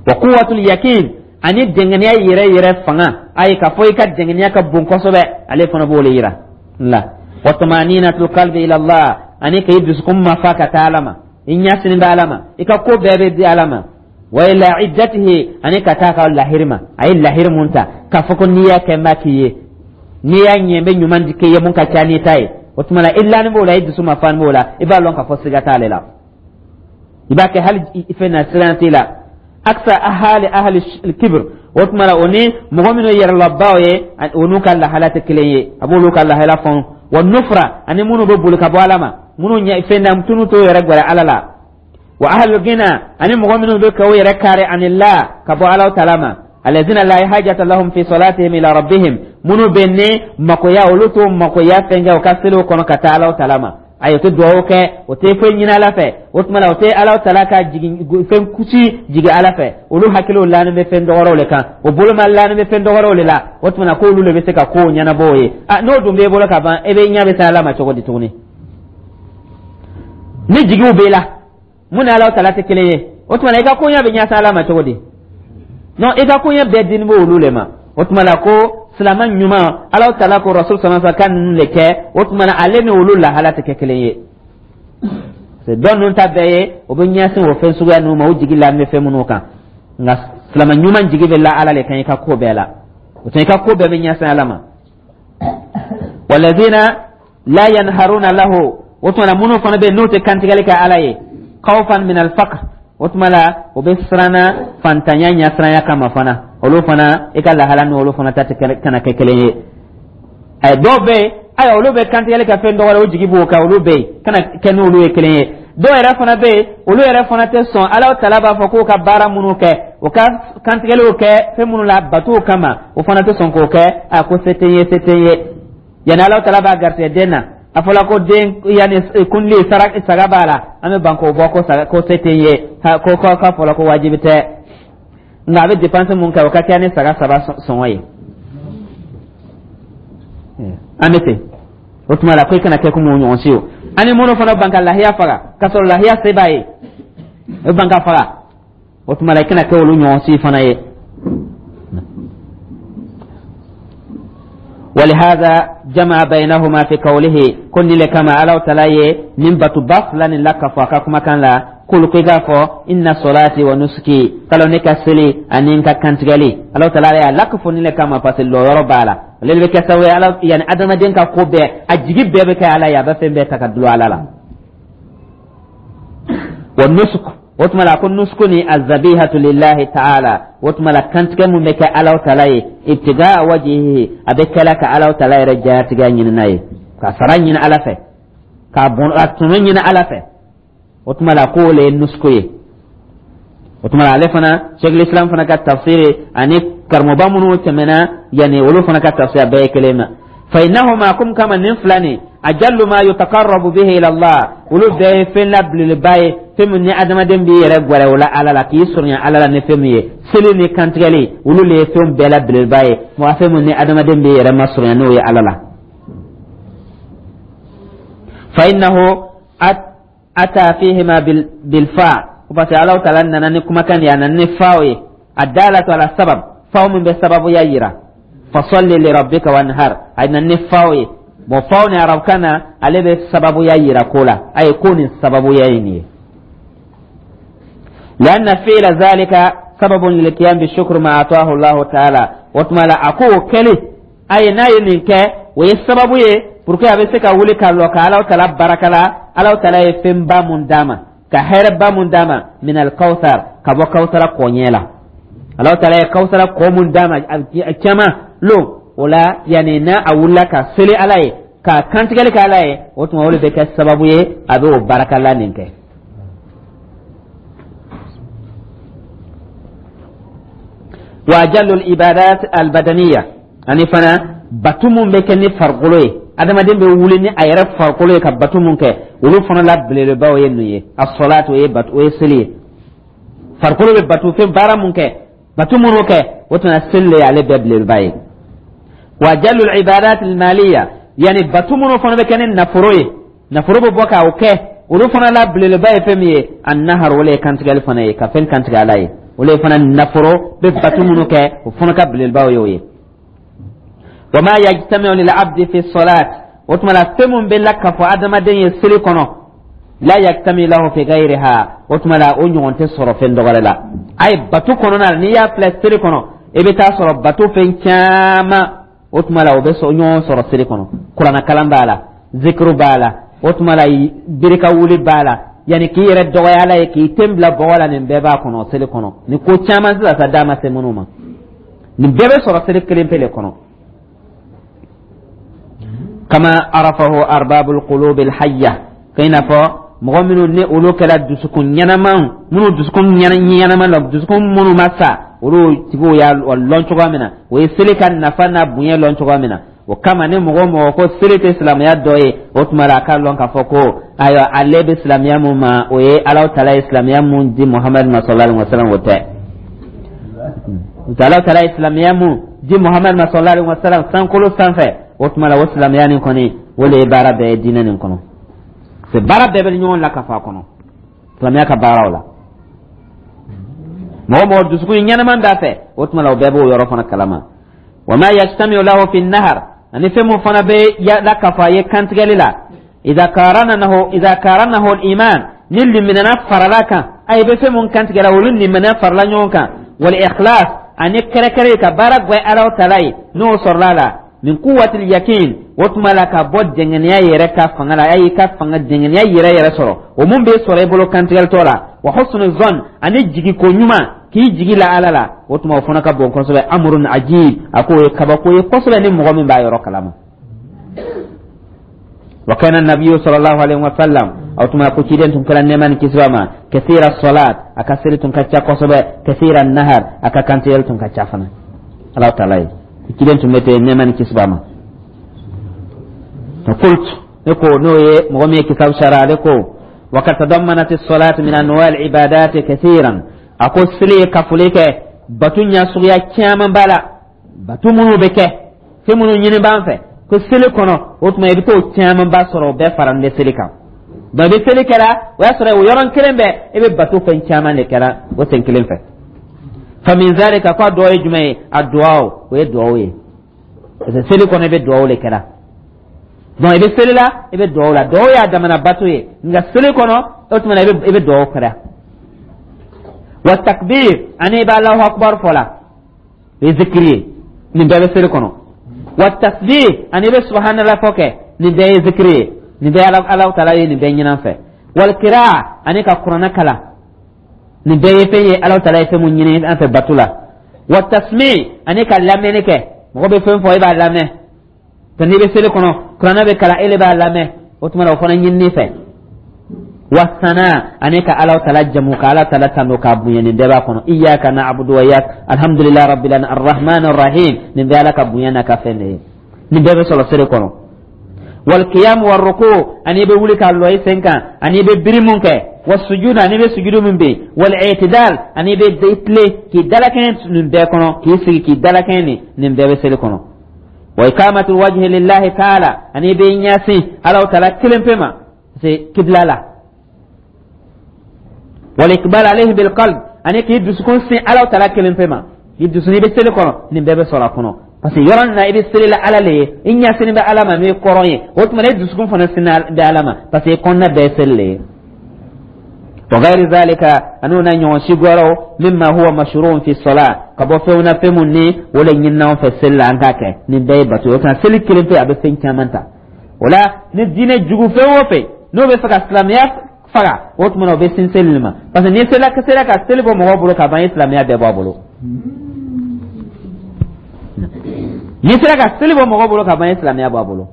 Wa quwwatul yakin, ani dɛngɛniya yɛrɛ yɛrɛ fanga, ayi k'a fɔ i ka dɛngɛniya ka bon kosɛbɛ, ale fana b'o le yira la. Wa tumaninatul qalbi ila Allah, ani k'i dusukun mafa ka taa Ala ma, i ɲɛsini bɛ Ala ma, i ka ko bɛɛ bɛ di Ala ma. Wa ila iddatihi, ani ka taa ka lahiri ma, a ye lahiri mun ta k'a fɔ ko n'i y'a kɛ n b'a k'i ye, n'i y'a ɲɛ n bɛ ɲuman di k'i ye mun ka ca n'i ta ye, o tuma la i lani b'o la, i dusu ma fani b'o la, i b'a lɔn k'a fɔ siga t'ale la, i b'a kɛ hali fɛn na siran t'i la. Aksa ahali ahali kibir, o tuma la o ni mɔgɔ minnu yɛrɛlabaw ye, o n'u ka lahala tɛ kelen ye, a b'olu ka lahala fɔn. Wa nufra, ani minnu bɛ boli ka bɔ Ala ma, minnu ɲɛ fɛn na tunu t'o yɛrɛ gwɛrɛ Ala la. Wa ahlul gina, ani mɔgɔ minnu bɛ k'o yɛrɛ kari anillah, ka bɔ Ala taala ma, alladhina la hajata lahum fi salatihim ila rabbihim, minnu bɛ ne makoya, olu t'o makoya fɛn kɛ u ka seliw kɔnɔ ka taa Ala taala ma. Ayi, o tɛ dugawu kɛ, o tɛ foyi ɲini Ala fɛ. O tuma la, o tɛ Ala tala ka jigin fɛn kusi jigin Ala fɛ. Olu hakiliw lanin bɛ fɛn dɔgɔrɛw le kan, o boloma lanin bɛ fɛn dɔgɔrɛw le la. O tuma na, k'olu le bɛ se ka kow ɲɛnabɔ o ye. A n'o dun b'e bolo ka ban, e bɛ ɲɛ bɛ se Ala ma cogo di tuguni? Ni jigiw b'e la mun ni Ala tala tɛ kelen ye, o tuma na, i ka koɲɛ bɛ ɲɛsin Ala ma cogo di? Non, i ka koɲɛ bɛɛ dini bɛ olu le ma. O tuma la, ko silama ɲuman, Ala tala ko Rasul sallallahu alaihi wasallam ka ninnu le kɛ. O tuma na, ale ni olu lahala tɛ kɛ kelen ye. Dɔw ninnu ta bɛɛ ye, o bɛ ɲɛsin o fɛn suguya ninnu ma, o jigi la bɛ fɛn minnu kan. Nka silama ɲuman jigi bɛ la Ala le kan i ka ko bɛɛ la. O tuma, i ka ko bɛɛ bɛ ɲɛsin Ala ma. Walazina la yanharuna lahu, o tuma na, minnu fana bɛ yen n'u tɛ kantigɛli kɛ Ala ye, khawfan min al-faqr, o tuma la, o bɛ siranna fantanya ɲɛsiranya kama fana. Olu fana, i ka lahala ni olu fana ta tɛ kana kɛ kelen ye. Ɛ, dɔw bɛ yen, ayiwa, olu bɛ kantigɛli kɛ fɛn dɔwɛrɛ, o jigi b'o kan, olu bɛ yen, kana kɛ n'olu ye kelen ye. Dɔw yɛrɛ fana bɛ yen, olu yɛrɛ fana tɛ sɔn. Ala tala b'a fɔ k'u ka baara minnu kɛ, o ka kantigɛliw kɛ fɛn minnu la batow kama, o fana tɛ sɔn k'o kɛ. A ko se tɛ n ye, se tɛ n ye. Yanni Ala tala b'a garisɛgɛ den na, a fɔla ko den yanni kunli saga b'a la, an bɛ ban k'o bɔ, ko saga ko se tɛ n ye, ko ko k'a fɔla ko wajibi tɛ. Nka a bɛ dépense mun kɛ, o ka kɛ ni saga saba sɔngɔ ye, an bɛ ten. O tuma la, ko i kana kɛ komi o ɲɔgɔn si o. Ani minnu fana ban ka lahiya faga k'a sɔrɔ lahiya se b'a ye, o ban ka faga. O tuma la, i kana kɛ olu ɲɔgɔn si fana ye. ولهذا جمع بينهما في قوله كن لكما على تلاي من باتو فلان لك فاكا كان لا كل كيغا إن صلاتي ونسكي قالوا نكا سلي أنينكا كانتغالي الله تعالى لك فني لكما فاسل لو يربالا للي كسوي على يعني أدم دينكا كوبي أجيب بيبك على يا بفهم بيتك دلو على لا والنسك. O tuma la, ko nusku ni azabihatu lillahi ta'ala. O tuma la, kantigɛ mun bɛ kɛ Alaw tala ye, ibtigaa wajihihi, a bɛ kɛla ka Alaw tala yɛrɛ jatigɛ ɲini n'a ye, ka sara ɲini Ala fɛ, ka bɔn a tɔnɔ ɲini Ala fɛ. O tuma la, k'o le ye nusku ye. O tuma la, ale fana, Sheikh Islam fana ka tafsiri ani karamɔgɔba minnu tɛmɛna yanni, olu fana ka tafsiri, a bɛɛ ye kelen ma. Fa innahuma kum kama nin fila nin, ajallu ma yutaqarrabu bihi ila Allah, olu bɛɛ ye fɛn la belebeleba ye, fɛn min ni adamaden b'i yɛrɛ gwɛrɛ o la Ala la, k'i surunya Ala la ni fɛn min ye. Seli ni kantigɛli, olu le ye fɛn bɛɛ la belebeleba ye, mɔgɔ fɛn min ni adamaden b'i yɛrɛ masurunya n'o ye Ala la. Fa innahu ata fihima bilfa, parce que Ala taala nana ni kumakan de ye, a nana ni faw ye, addalatu ala sabab, faw min bɛ sababuya yira. Fasalli li rabbika wanhar, a nana ni faw ye. Bon, faw ni arabukan na, ale bɛ sababuya yira ko la, a ye ko nin sababuya ye nin ye. لأن فعل ذلك سبب للقيام بالشكر ما أعطاه الله تعالى. وتما لا أكو كلي أي ناي نينك وي سبب ye pour que a bɛ se ka wuli ka lɔ ka Ala tala baraka la, Ala tala ye fɛnba mun d'a ma, ka hɛrɛba mun d'a ma, min alkawsar, ka bɔ kawsara kɔɲɛ la. Ala tala ye kawsara kɔ mun d'a ma a caman lon o la, yanni n'a a wulila ka seli Ala ye, ka kantigɛli kɛ Ala ye, o tuma, o de bɛ kɛ sababu ye a bɛ o barakala nin kɛ. Wa ajallu ibadat albadaniya, ani fana batu mun bɛ kɛ ni farikolo ye, adamaden bɛ wuli ni a yɛrɛ farikolo ye ka batu mun kɛ, olu fana la belebelebaw ye nin ye. As-salatu, o ye batu, o ye seli ye. Farikolo bɛ batu fɛn baara mun kɛ, batu minnu kɛ, o tuma, seli le y'ale bɛɛ belebeleba ye. Wa ajallu ibadat almaliya, yani batu minnu fana bɛ kɛ ni nafolo ye, nafolo bɛ bɔ k'o kɛ, olu fana la belebeleba ye fɛn min ye, an-nahar, o le ye kantigɛli fana ye, ka fɛn kantigɛ Ala ye. O le fana nafolo bɛ batu minnu kɛ, o fana ka belebelebaw ye o ye. Wa ma yajtami'u lil abdi fi salat, o tuma la, fɛn mun bɛ lakafo adamaden ye seli kɔnɔ, la yajtami lahu fi ghayriha, o tuma la, o ɲɔgɔn tɛ sɔrɔ fɛn dɔwɛrɛ la. A ye batu kɔnɔna la, n'i y'a filɛ seli kɔnɔ, i bɛ taa sɔrɔ batu fɛn caman, o tuma la, o bɛ ɲɔgɔn sɔrɔ seli kɔnɔ. Kuranɛ kalan b'a la, zikiru b'a la, o tuma la, birika wuli b'a la, yanni k'i yɛrɛ dɔgɔya Ala ye, k'i ten bila bɔgɔ la, nin bɛɛ b'a kɔnɔ seli kɔnɔ. Nin ko caman sisan sa d'a ma se minnu ma, nin bɛɛ bɛ sɔrɔ seli kelen pe le kɔnɔ. Kama arafahu arbabul qulubil hayya, ka i n'a fɔ mɔgɔ minnu ni olu kɛra dusukun ɲɛnamaw, minnu dusukun ɲɛnama la, dusukun minnu ma sa, olu tigiw y'a lɔn cogoya min na, o ye seli ka nafa n'a bonya lɔn cogoya min na. O kama ni mɔgɔ o mɔgɔ ko seli tɛ silamɛya dɔ ye, o tuma la a k'a lɔn k'a fɔ ko ayiwa, ale bɛ silamɛya mun ma, o ye Alahu Taala ye silamɛya mun di Muhamadu ma sallallahu alaihi wa sallam, o tɛ. Alahu Taala ye silamɛya mun di Muhamadu ma sallallahu alaihi wa sallam sankolo sanfɛ, o tuma la o silamɛya nin kɔni, o de ye baara bɛɛ ye diinɛ nin kɔnɔ. C'est baara bɛɛ bɛ ɲɔgɔn la ka fɔ a kɔnɔ, silamɛya ka baaraw la. Mɔgɔ mɔgɔ dusukun ɲɛnama b'a fɛ, o tuma la o bɛɛ b'o yɔrɔ fana kalama. Wa ma yajtamiu lahu fi nahar, ani fɛn mun fana bɛ lakafo a ye kantigɛli la, idha karanahu idha karanahu al-iman, ni liminɛna farala kan, a ye bɛ fɛn mun kantigɛla, olu liminɛ farala ɲɔgɔn kan, wal ikhlas, ani kɛrɛkɛrɛ ka baara gwɛ Alaw Tala ye, n'o sɔrɔla la, min quwwatil yakin, o tuma la ka bɔ dɛngɛniya yɛrɛ ka fanga la, a y'i ka fanga dɛngɛniya yɛrɛ yɛrɛ sɔrɔ, o mun bɛ sɔrɔ i bolo kantigɛlitɔ la, wa husnu zon, ani jigiko ɲuman k'i jigi la Ala la, o tuma o fana ka bon kosɛbɛ. Amrun ajib, a k'o ye kabako ye kosɛbɛ ni mɔgɔ min b'a yɔrɔ kalama. Wa kana nabiyyu sallallahu alaihi wa sallam, o tuma ko ciden tun kɛra, nɛɛma ni kisi b'a ma, kathira salat, a ka seli tun ka ca kosɛbɛ, kathira nahar, a ka kantigɛli tun ka ca fana Ala Taala ye. Ciden tun bɛ ten, nɛɛma ni kisi b'a ma. Qult, ne ko, n'o ye mɔgɔ min ye kitabu sara, ale ko wa kad tadammanat as-salat min anwa' al-ibadat kathiran, a ko seli ye kafoli kɛ batu ɲɛ suguya caman b'a la, batu minnu bɛ kɛ, fɛn minnu ɲini b'an fɛ ko seli kɔnɔ, o tuma i bɛ t'o caman ba sɔrɔ, o bɛɛ fara bɛ seli kan. Donc i bɛ seli kɛra, o y'a sɔrɔ o yɔrɔ kelen bɛɛ i bɛ bato fɛn caman de kɛra o sen kelen fɛ. Fa min zalika, k'a dɔ ye jumɛn ye? A duwawu, o ye duwawu ye, parce que seli kɔnɔ i bɛ duwawu de kɛra. Donc i bɛ seli la, i bɛ duwawu la, duwawu y'a damana bato ye, nka seli kɔnɔ, o tuma i bɛ i bɛ duwawu kɛra. Wa takbir, ani i bɛ Alahu akubar fɔ la, o ye zikiri ye, nin bɛɛ bɛ seli kɔnɔ. Wa tasbih, ani i bɛ subhanallah fɔ kɛ, nin bɛɛ ye zikiri ye, nin bɛɛ Ala Alahu Taala ye nin bɛɛ ɲin'an fɛ. Wal kiraa, ani ka kuranɛ kalan, nin bɛɛ ye fɛn ye Alahu Taala ye fɛn mun ɲini an fɛ bato la. Wa tasmi, ani ka lamɛnni kɛ, mɔgɔ bɛ fɛn fɔ, e b'a lamɛn. To n'i bɛ seli kɔnɔ, kuranɛ bɛ kalan, e de b'a lamɛn, o tuma na o fana ɲinini fɛ. Wa sana, ani ka Alahu Taala jamu, ka Ala Taala tanu k'a bonya, nin bɛɛ b'a kɔnɔ. Iyyaka na'budu wa iyyaka, alhamdulillahi rabbil alamin, arrahman arrahim, nin bɛɛ Ala ka bonya n'a ka fɛn de ye, nin bɛɛ bɛ sɔrɔ seli kɔnɔ. Wal qiyam war ruku, ani i bɛ wuli ka lɔ i sen kan, ani i bɛ biri mun kɛ, wa sujud, ani i bɛ sujudu min bɛ, wal i'tidal, ani i bɛ tile k'i dalakɛɲɛ, nin bɛɛ kɔnɔ, k'i sigi k'i dalakɛɲɛ, nin nin bɛɛ bɛ seli kɔnɔ. Wa iqamatul wajhi lillahi ta'ala, ani i bɛ ɲɛsin Alahu Taala kelen pe ma, c'est kibla la, wal iqbal alayhi bil qalb, ani k'i dusukun sin Alahu Taala kelen pe ma, k'i dusukun i bɛ seli kɔnɔ, nin bɛɛ bɛ sɔrɔ a kɔnɔ, parce que yɔrɔ nin na i bɛ seli la Ala le ye, i ɲɛsinnen bɛ Ala ma n'o ye kɔrɔn ye, o tuma e dusukun fana sin bɛ Ala ma, parce que i kɔnɔna bɛɛ ye seli le ye. Wa ghayri zalika, ani na ɲɔgɔn si wɛrɛw, mimma huwa mashru'un fi salat, ka bɔ fɛnw na, fɛn mun ni o le ɲinina an fɛ seli la an k'a kɛ, nin bɛɛ ye bato ye. O tuma seli kelen pe a bɛ fɛn caman ta. O la ni diinɛ jugu fɛn o fɛn n'o bɛ fɛ ka silamɛya faga, o tuma na o bɛ sin seli nin ma, parce que n'i sera sera ka seli bɔ mɔgɔw bolo ka ban, i ye silamɛya bɛɛ bɔ a bolo. N'i sera ka seli bɔ mɔgɔw bolo ka ban, i ye silamɛya bɔ a bolo.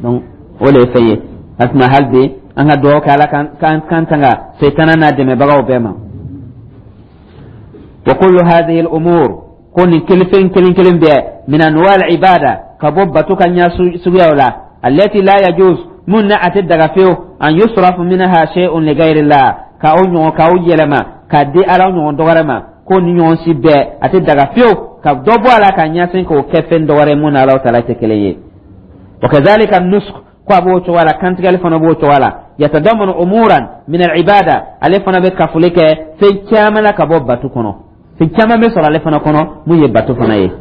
Donc o de ye fɛn ye. A tuma hali bi an ka dugawu kɛ Ala k'an kan tanga setana n'a dɛmɛbagaw bɛɛ ma. Wa kullu hadhihi al-umur, ko nin kelefɛn kelen kelen bɛɛ, min anwa al-ibada, ka bɔ bato ka ɲɛ suguyaw la, allati la yajuz, mun na a tɛ daga fewu, an yusrafu minha shay'un li ghayrillah, ka o ɲɔgɔn ka o yɛlɛma k'a di Ala ɲɔgɔn dɔ wɛrɛ ma, ko ni ɲɔgɔn si bɛɛ a tɛ daga fewu ka dɔ bɔ a la ka ɲɛsin k'o kɛ fɛn dɔ wɛrɛ mun na Ala Taala tɛ kelen ye. Wa kadhalika nusuk, ko a b'o cogoya la, kantigɛli fana b'o cogoya la, yatadammanu umuran min al-ibada, ale fana bɛ kafoli kɛ fɛn caman la ka bɔ batu kɔnɔ, fɛn caman bɛ sɔrɔ ale fana kɔnɔ mun ye batu fana ye.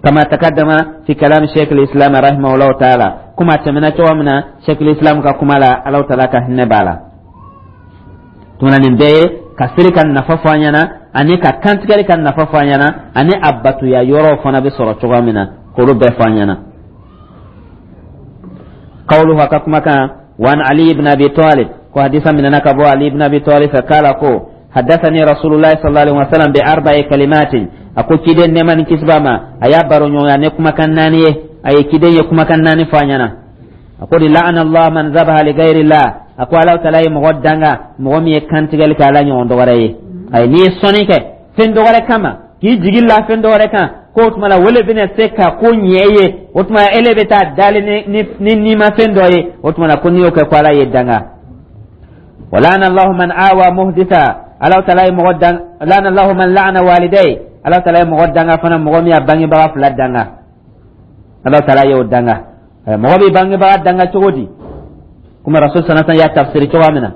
Kama takaddama fi kalam sheikh al-islam rahimahullahu ta'ala, kuma tɛmɛna cogo min na sheikh al-islam ka kuma la, Ala Taala ka hinɛ b'a la. Tuma nin bɛɛ ye ka seli ka nafa fɔ an ɲɛna, ani ka kantigɛli ka nafa fɔ an ɲɛna, ani a batuya yɔrɔw fana bɛ sɔrɔ cogoya min na, k'olu bɛɛ fɔ an ɲɛna. Qawluhu, ka kuma kan, wa an Ali ibn Abi Talib, ko hadisa minana ka bɔ Ali ibn Abi Talib fɛ, kala ko haddathani Rasulullah sallallahu alaihi wasallam bi arba'i kalimatin, a ko ciden, nɛɛma ni kisi b'a ma, a y'a baro ɲɔgɔnya ne kumakan naani ye, a ye ciden ye kumakan naani fɔ a ɲɛna. A ko di la'ana Allah man zabaha li ghayri Allah, a ko Ala Taala ye mɔgɔ danga mɔgɔ min ye kantigɛli kɛ Ala ɲɔgɔn dɔ wɛrɛ ye. Ayi, n'i ye sɔnni kɛ fɛn dɔ wɛrɛ kama. K'i jigi la fɛn dɔ wɛrɛ kan ko o tuma la o le bɛna se ka ko ɲɛ e ye, o tuma ele bɛ taa dali ni ni ni nimafɛn dɔ ye. O tuma la ko n'i y'o kɛ, ko Ala ye danga. Wa la'ana Allahu man awa muhditha. Ala taala ye mɔgɔ dan. La'ana Allahu man la'ana walidayhi. Ala taala ye mɔgɔ danga fana, mɔgɔ min y'a bangebaga fila danga, Ala taala y'o danga. Mɔgɔ bɛ bangebaga danga cogo di? Komi Rasul sanatan y'a tafsiri cogoya min na,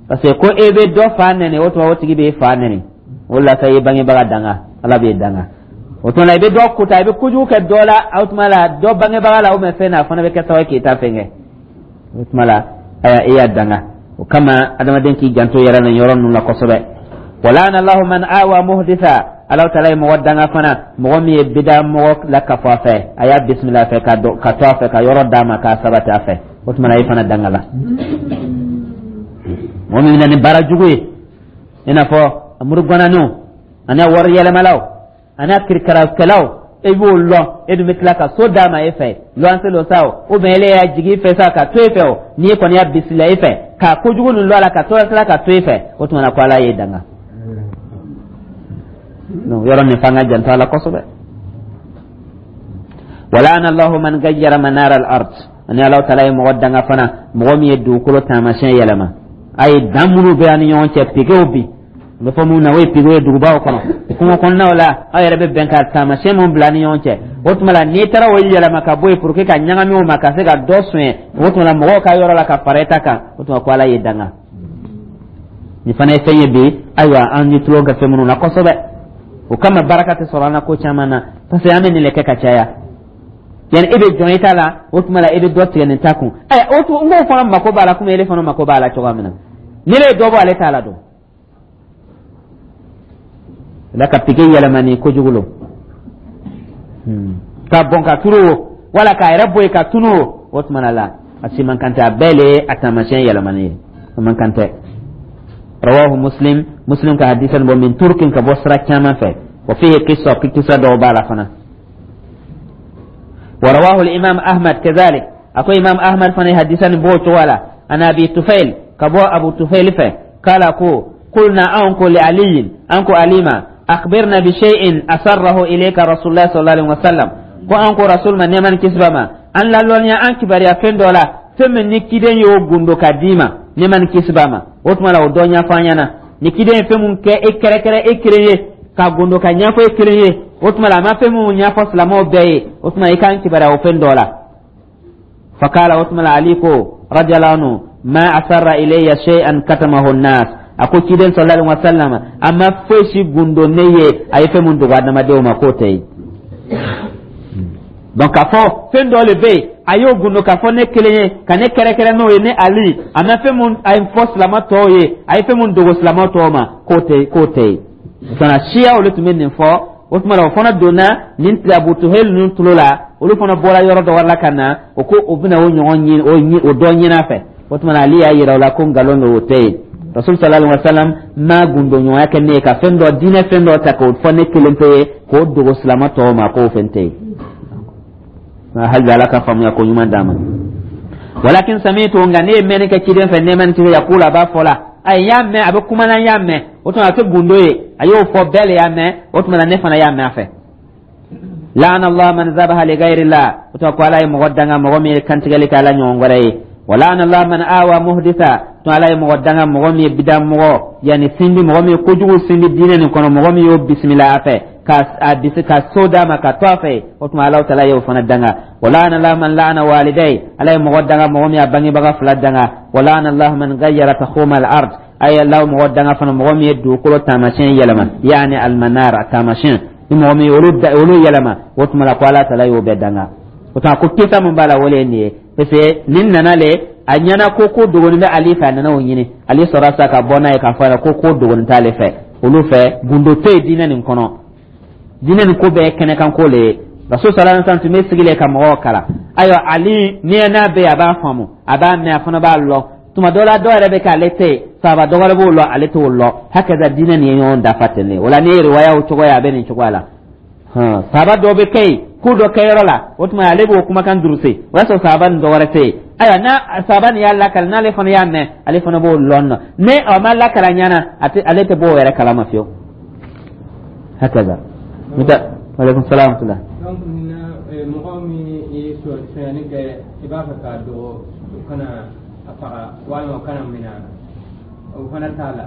parce que ko e bɛ dɔ fa nɛni, o tuma o tigi b'e fa nɛni. O la sa, i ye bangebaga danga, Ala b'e danga. O tuma la, i bɛ dɔ kuta, i bɛ kojugu kɛ dɔ la, o tuma la dɔ bangebaga la, ou bien fɛn na, a fana bɛ kɛ sababu ye k'i ta fɛn kɛ. O tuma la, aya, e y'a danga. O kama, adamaden k'i janto yɛrɛ la yɔrɔ ninnu la kosɛbɛ. Wa la'ana Allahu man awa muhditha. Ala taala ye mɔgɔ danga fana, mɔgɔ min ye bida mɔgɔ la kafo a fɛ, a y'a bisimila a fɛ, ka ka to a fɛ, ka yɔrɔ d'a ma, k'a sabati a fɛ. O tuma na, e fana danga la. Mɔgɔ min bɛ na ni baara jugu ye, i n'a fɔ murugwananinw ani wari yɛlɛmalaw ani kirikarakɛlaw, e b'o lɔn, e dun bɛ tila ka so d'a ma e fɛ, luwanse lo sa o, ou bien ele y'a jigi i fɛ sa ka to e fɛ o, n'i kɔni y'a bisimila e fɛ ka kojugu nin lɔ a la, ka to tila ka to e fɛ, o tuma na ko Ala y'e danga. Donc yɔrɔ nin f'an ka janto a la kosɛbɛ. Wa la'ana Allahu man gayyara manara al-ard. Ani Ala taala ye mɔgɔ danga fana, mɔgɔ min ye dugukolo taamasiyɛn yɛlɛma. A ye dan minnu bɛ an ni ɲɔgɔn cɛ, piquetw bi n bɛ fɔ mun na, o ye piquet ye dugubaw kɔnɔ, kungo kɔnɔnaw la, aw yɛrɛ bɛ bɛn ka taamasiyɛn mun bila ni ɲɔgɔn cɛ. O tuma la, n'i taara o yɛlɛma ka bɔ yen pour que ka ɲagami o ma, ka se ka dɔ suɲɛ, o tuma la mɔgɔw ka yɔrɔ la ka fara e ta kan, o tuma ko Ala ye danga. Nin fana ye fɛn ye bi, ayiwa, an ye tulon kɛ fɛn minnu na kosɛbɛ. O kama, baraka tɛ sɔrɔ an na ko caman na, parce que an bɛ nin le kɛ ka caya. Yani e bɛ jɔn i ta la, o tuma la e bɛ dɔ tigɛ nin ta kun. Ɛ, o tuma n k'o fana mako b'a la, komi ele fana mako b'a la cogoya min na. Ni ne ye dɔ bɔ ale ta la don la, ka piquet yɛlɛma ni kojugu lo, ka bɔn ka turu o, wala k'a yɛrɛ bɔ yen ka tunu o, o tuma la a si man kan tɛ. A bɛɛ le ye a taamasiyɛn yɛlɛmani ye, o man kan tɛ. Rawahu Muslim. Muslim ka hadisa bɔ min turukin, ka bɔ sira caman fɛ. Wa fihi qissa, kisa dɔw b'a la fana. Wa rawahu al-imam Ahmad kadhalik. Ako Imam Ahmad fana hadisa nin b'o cogo la. An Abi Tufail, ka bɔ Abu Tufail fɛ, kala ko qulna, an ko li Aliyin, an ko Alima, akhbirna bi shay'in asarrahu ilayka Rasulullah sallallahu alaihi wasallam. Ko an ko Rasul ma, nɛɛma ni kisi b'a ma, an lalɔnniya, an kibaruya fɛn dɔ la, fɛn min ni kiden y'o gundo ka d'i ma, nɛɛma ni kisi b'a ma. O tuma la, o dɔ ɲɛfɔ an ɲɛna. Ni kiden ye fɛn mun kɛ e kɛrɛkɛrɛ, e kelen ye, ka gundo ka ɲɛfɔ e kelen ye, o tuma la a ma fɛn mun ɲɛfɔ silamɛw bɛɛ ye, o tuma i k'an kibaruya o fɛn dɔ la. Fakala, o tuma la Ali ko radiyallahu anhu, ma asarra ilayya shay'an katamahu an-nas. A ko ciden sallallahu alaihi wasallam a ma foyi si gundo ne ye, a ye fɛn mun dogo adamadenw ma, k'o tɛ yen. Donc k'a fɔ fɛn dɔ le bɛ yen, a y'o gundo k'a fɔ ne kelen ye, ka ne kɛrɛkɛrɛ n'o ye, ne Ali, a ma fɛn mun a ye fɔ silamɛ tɔw ye, a ye fɛn mun dogo silamɛ tɔw ma, k'o tɛ k'o tɛ yen. Kana siya olu tun bɛ nin fɔ. O tuma na, o fana donna nin Abu Tuhel ninnu tulo la. Olu fana bɔra yɔrɔ dɔ wɛrɛ la ka na, o ko o bɛna o ɲɔgɔn ɲini, o dɔ ɲini a fɛ. O tuma na, Ale y'a yira o la ko nkalon don, o tɛ yen. Rasul sallallahu alaihi wasallam ma gundo ɲɔgɔnya kɛ ne ye ka fɛn dɔ, diinɛ fɛn dɔ ta k'o fɔ ne kelen pe ye, k'o dogo silamɛ tɔw ma, k'o fɛn tɛ yen. Hali bi, Ala ka faamuya ko ɲuman d'a ma. Walakin sami'tu, nka ne ye mɛnni kɛ ciden fɛ, nɛɛma ni kisi, yaqulu, a b'a fɔ la, ayi, n y'a mɛn a bɛ kuma na, n y'a mɛn. O tuma a tɛ gundo ye, a y'o fɔ, bɛɛ le y'a mɛn. O tuma na, ne fana y'a mɛn a fɛ. La'ana Allah man zabaha li ghayri Allah. O tuma ko Ala ye mɔgɔ danga, mɔgɔ min ye kantigɛli kɛ Ala ɲɔgɔn wɛrɛ ye. Wa la'ana Allah man awa muhditha. To Ala ye mɔgɔ danga, mɔgɔ min ye bida mɔgɔ, yani sindi, mɔgɔ min ye kojugu sindi diinɛ nin kɔnɔ, mɔgɔ min y'o bisimila a fɛ, ka a bisi ka so d'a ma, ka to a fɛ, o tuma Ala taala y'o fana danga. Wa la'ana Allah man la'ana walidai. Ala ye mɔgɔ danga, mɔgɔ min y'a bangebaga fila danga. Wa la'ana Allah man ghayyara takhuma al-ard. Ay Allah mɔgɔ danga fana, mɔgɔ min ye dugukolo taamasiyɛn yɛlɛma, yaani al-manar, a taamasiyɛn ni mɔgɔ min olu olu yɛlɛma, o tuma la ko Ala taala y'o bɛɛ danga. O tuma ko kisa mun b'a la, o le ye nin ye, parce que nin nana le a ɲɛna ko ko dogonin bɛ Ali fɛ, a nana o ɲini. Ali sɔrɔ sa ka bɔ n'a ye k'a fɔ a ye ko ko dogonin t'ale fɛ, olu fɛ gundo tɛ yen diinɛ nin kɔnɔ. Diinɛ nin ko bɛɛ ye kɛnɛkan ko le ye. Rasul sallallahu alaihi wasallam tun bɛ sigi le ka mɔgɔw kalan. Ayiwa, Ali ni n'a bɛ yen, a b'a faamu, a b'a mɛn, a fana b'a lɔn. Tuma dɔ la, dɔw yɛrɛ bɛ k'ale tɛ yen, sahaba dɔ wɛrɛ b'o lɔn, ale t'o lɔn. Hakaza, diinɛ nin ye ɲɔgɔn dafa ten de. O la, n'i ye riwayaw cogo ye, a bɛ nin cogoya la. Sahaba dɔ bɛ kɛ yen ko dɔ kɛyɔrɔ la, o tuma ale b'o kumakan duruse, o y'a sɔrɔ sahaba ni dɔ wɛrɛ tɛ yen. Ayiwa, n'a sahaba nin y'a lakale, n'ale fana y'a mɛn, ale fana b'o lɔn nɔ. Ni a ma lakale a ɲɛna, a tɛ, ale tɛ bɔ o yɛrɛ kalama fiyewu. Hakaza. Muta alaikum salam tula. Donc mɔgɔ min ye sonyani kɛ, i b'a fɛ k'a dogo, o kana a faga walima o kana minɛ, o fana t'a la?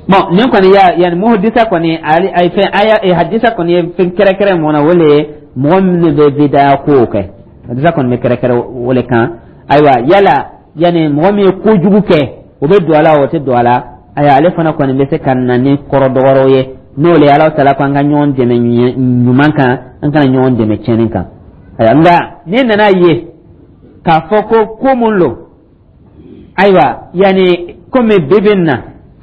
Bon, nin kɔni ya yani muhdisa kɔni, ay fɛn aya hadisa kɔni ye fɛn kɛrɛkɛrɛ mun na, o le ye mɔgɔ minnu bɛ bidaya kow kɛ. Hadisa kɔni bɛ kɛrɛkɛrɛ o le kan. Ayiwa, yala yani mɔgɔ min ye kojugu kɛ, o bɛ don a la, o tɛ don a la? Ayiwa, ale fana kɔni bɛ se ka na ni kɔrɔ dɔgɔrɔw ye, n'o le ye Ala taala ko an ka ɲɔgɔn dɛmɛ ɲuman kan, an kana ɲɔgɔn dɛmɛ tiɲɛni kan. Ayiwa, nka ne nana ye k'a fɔ ko ko mun lo, ayiwa, yani komi bi bi in na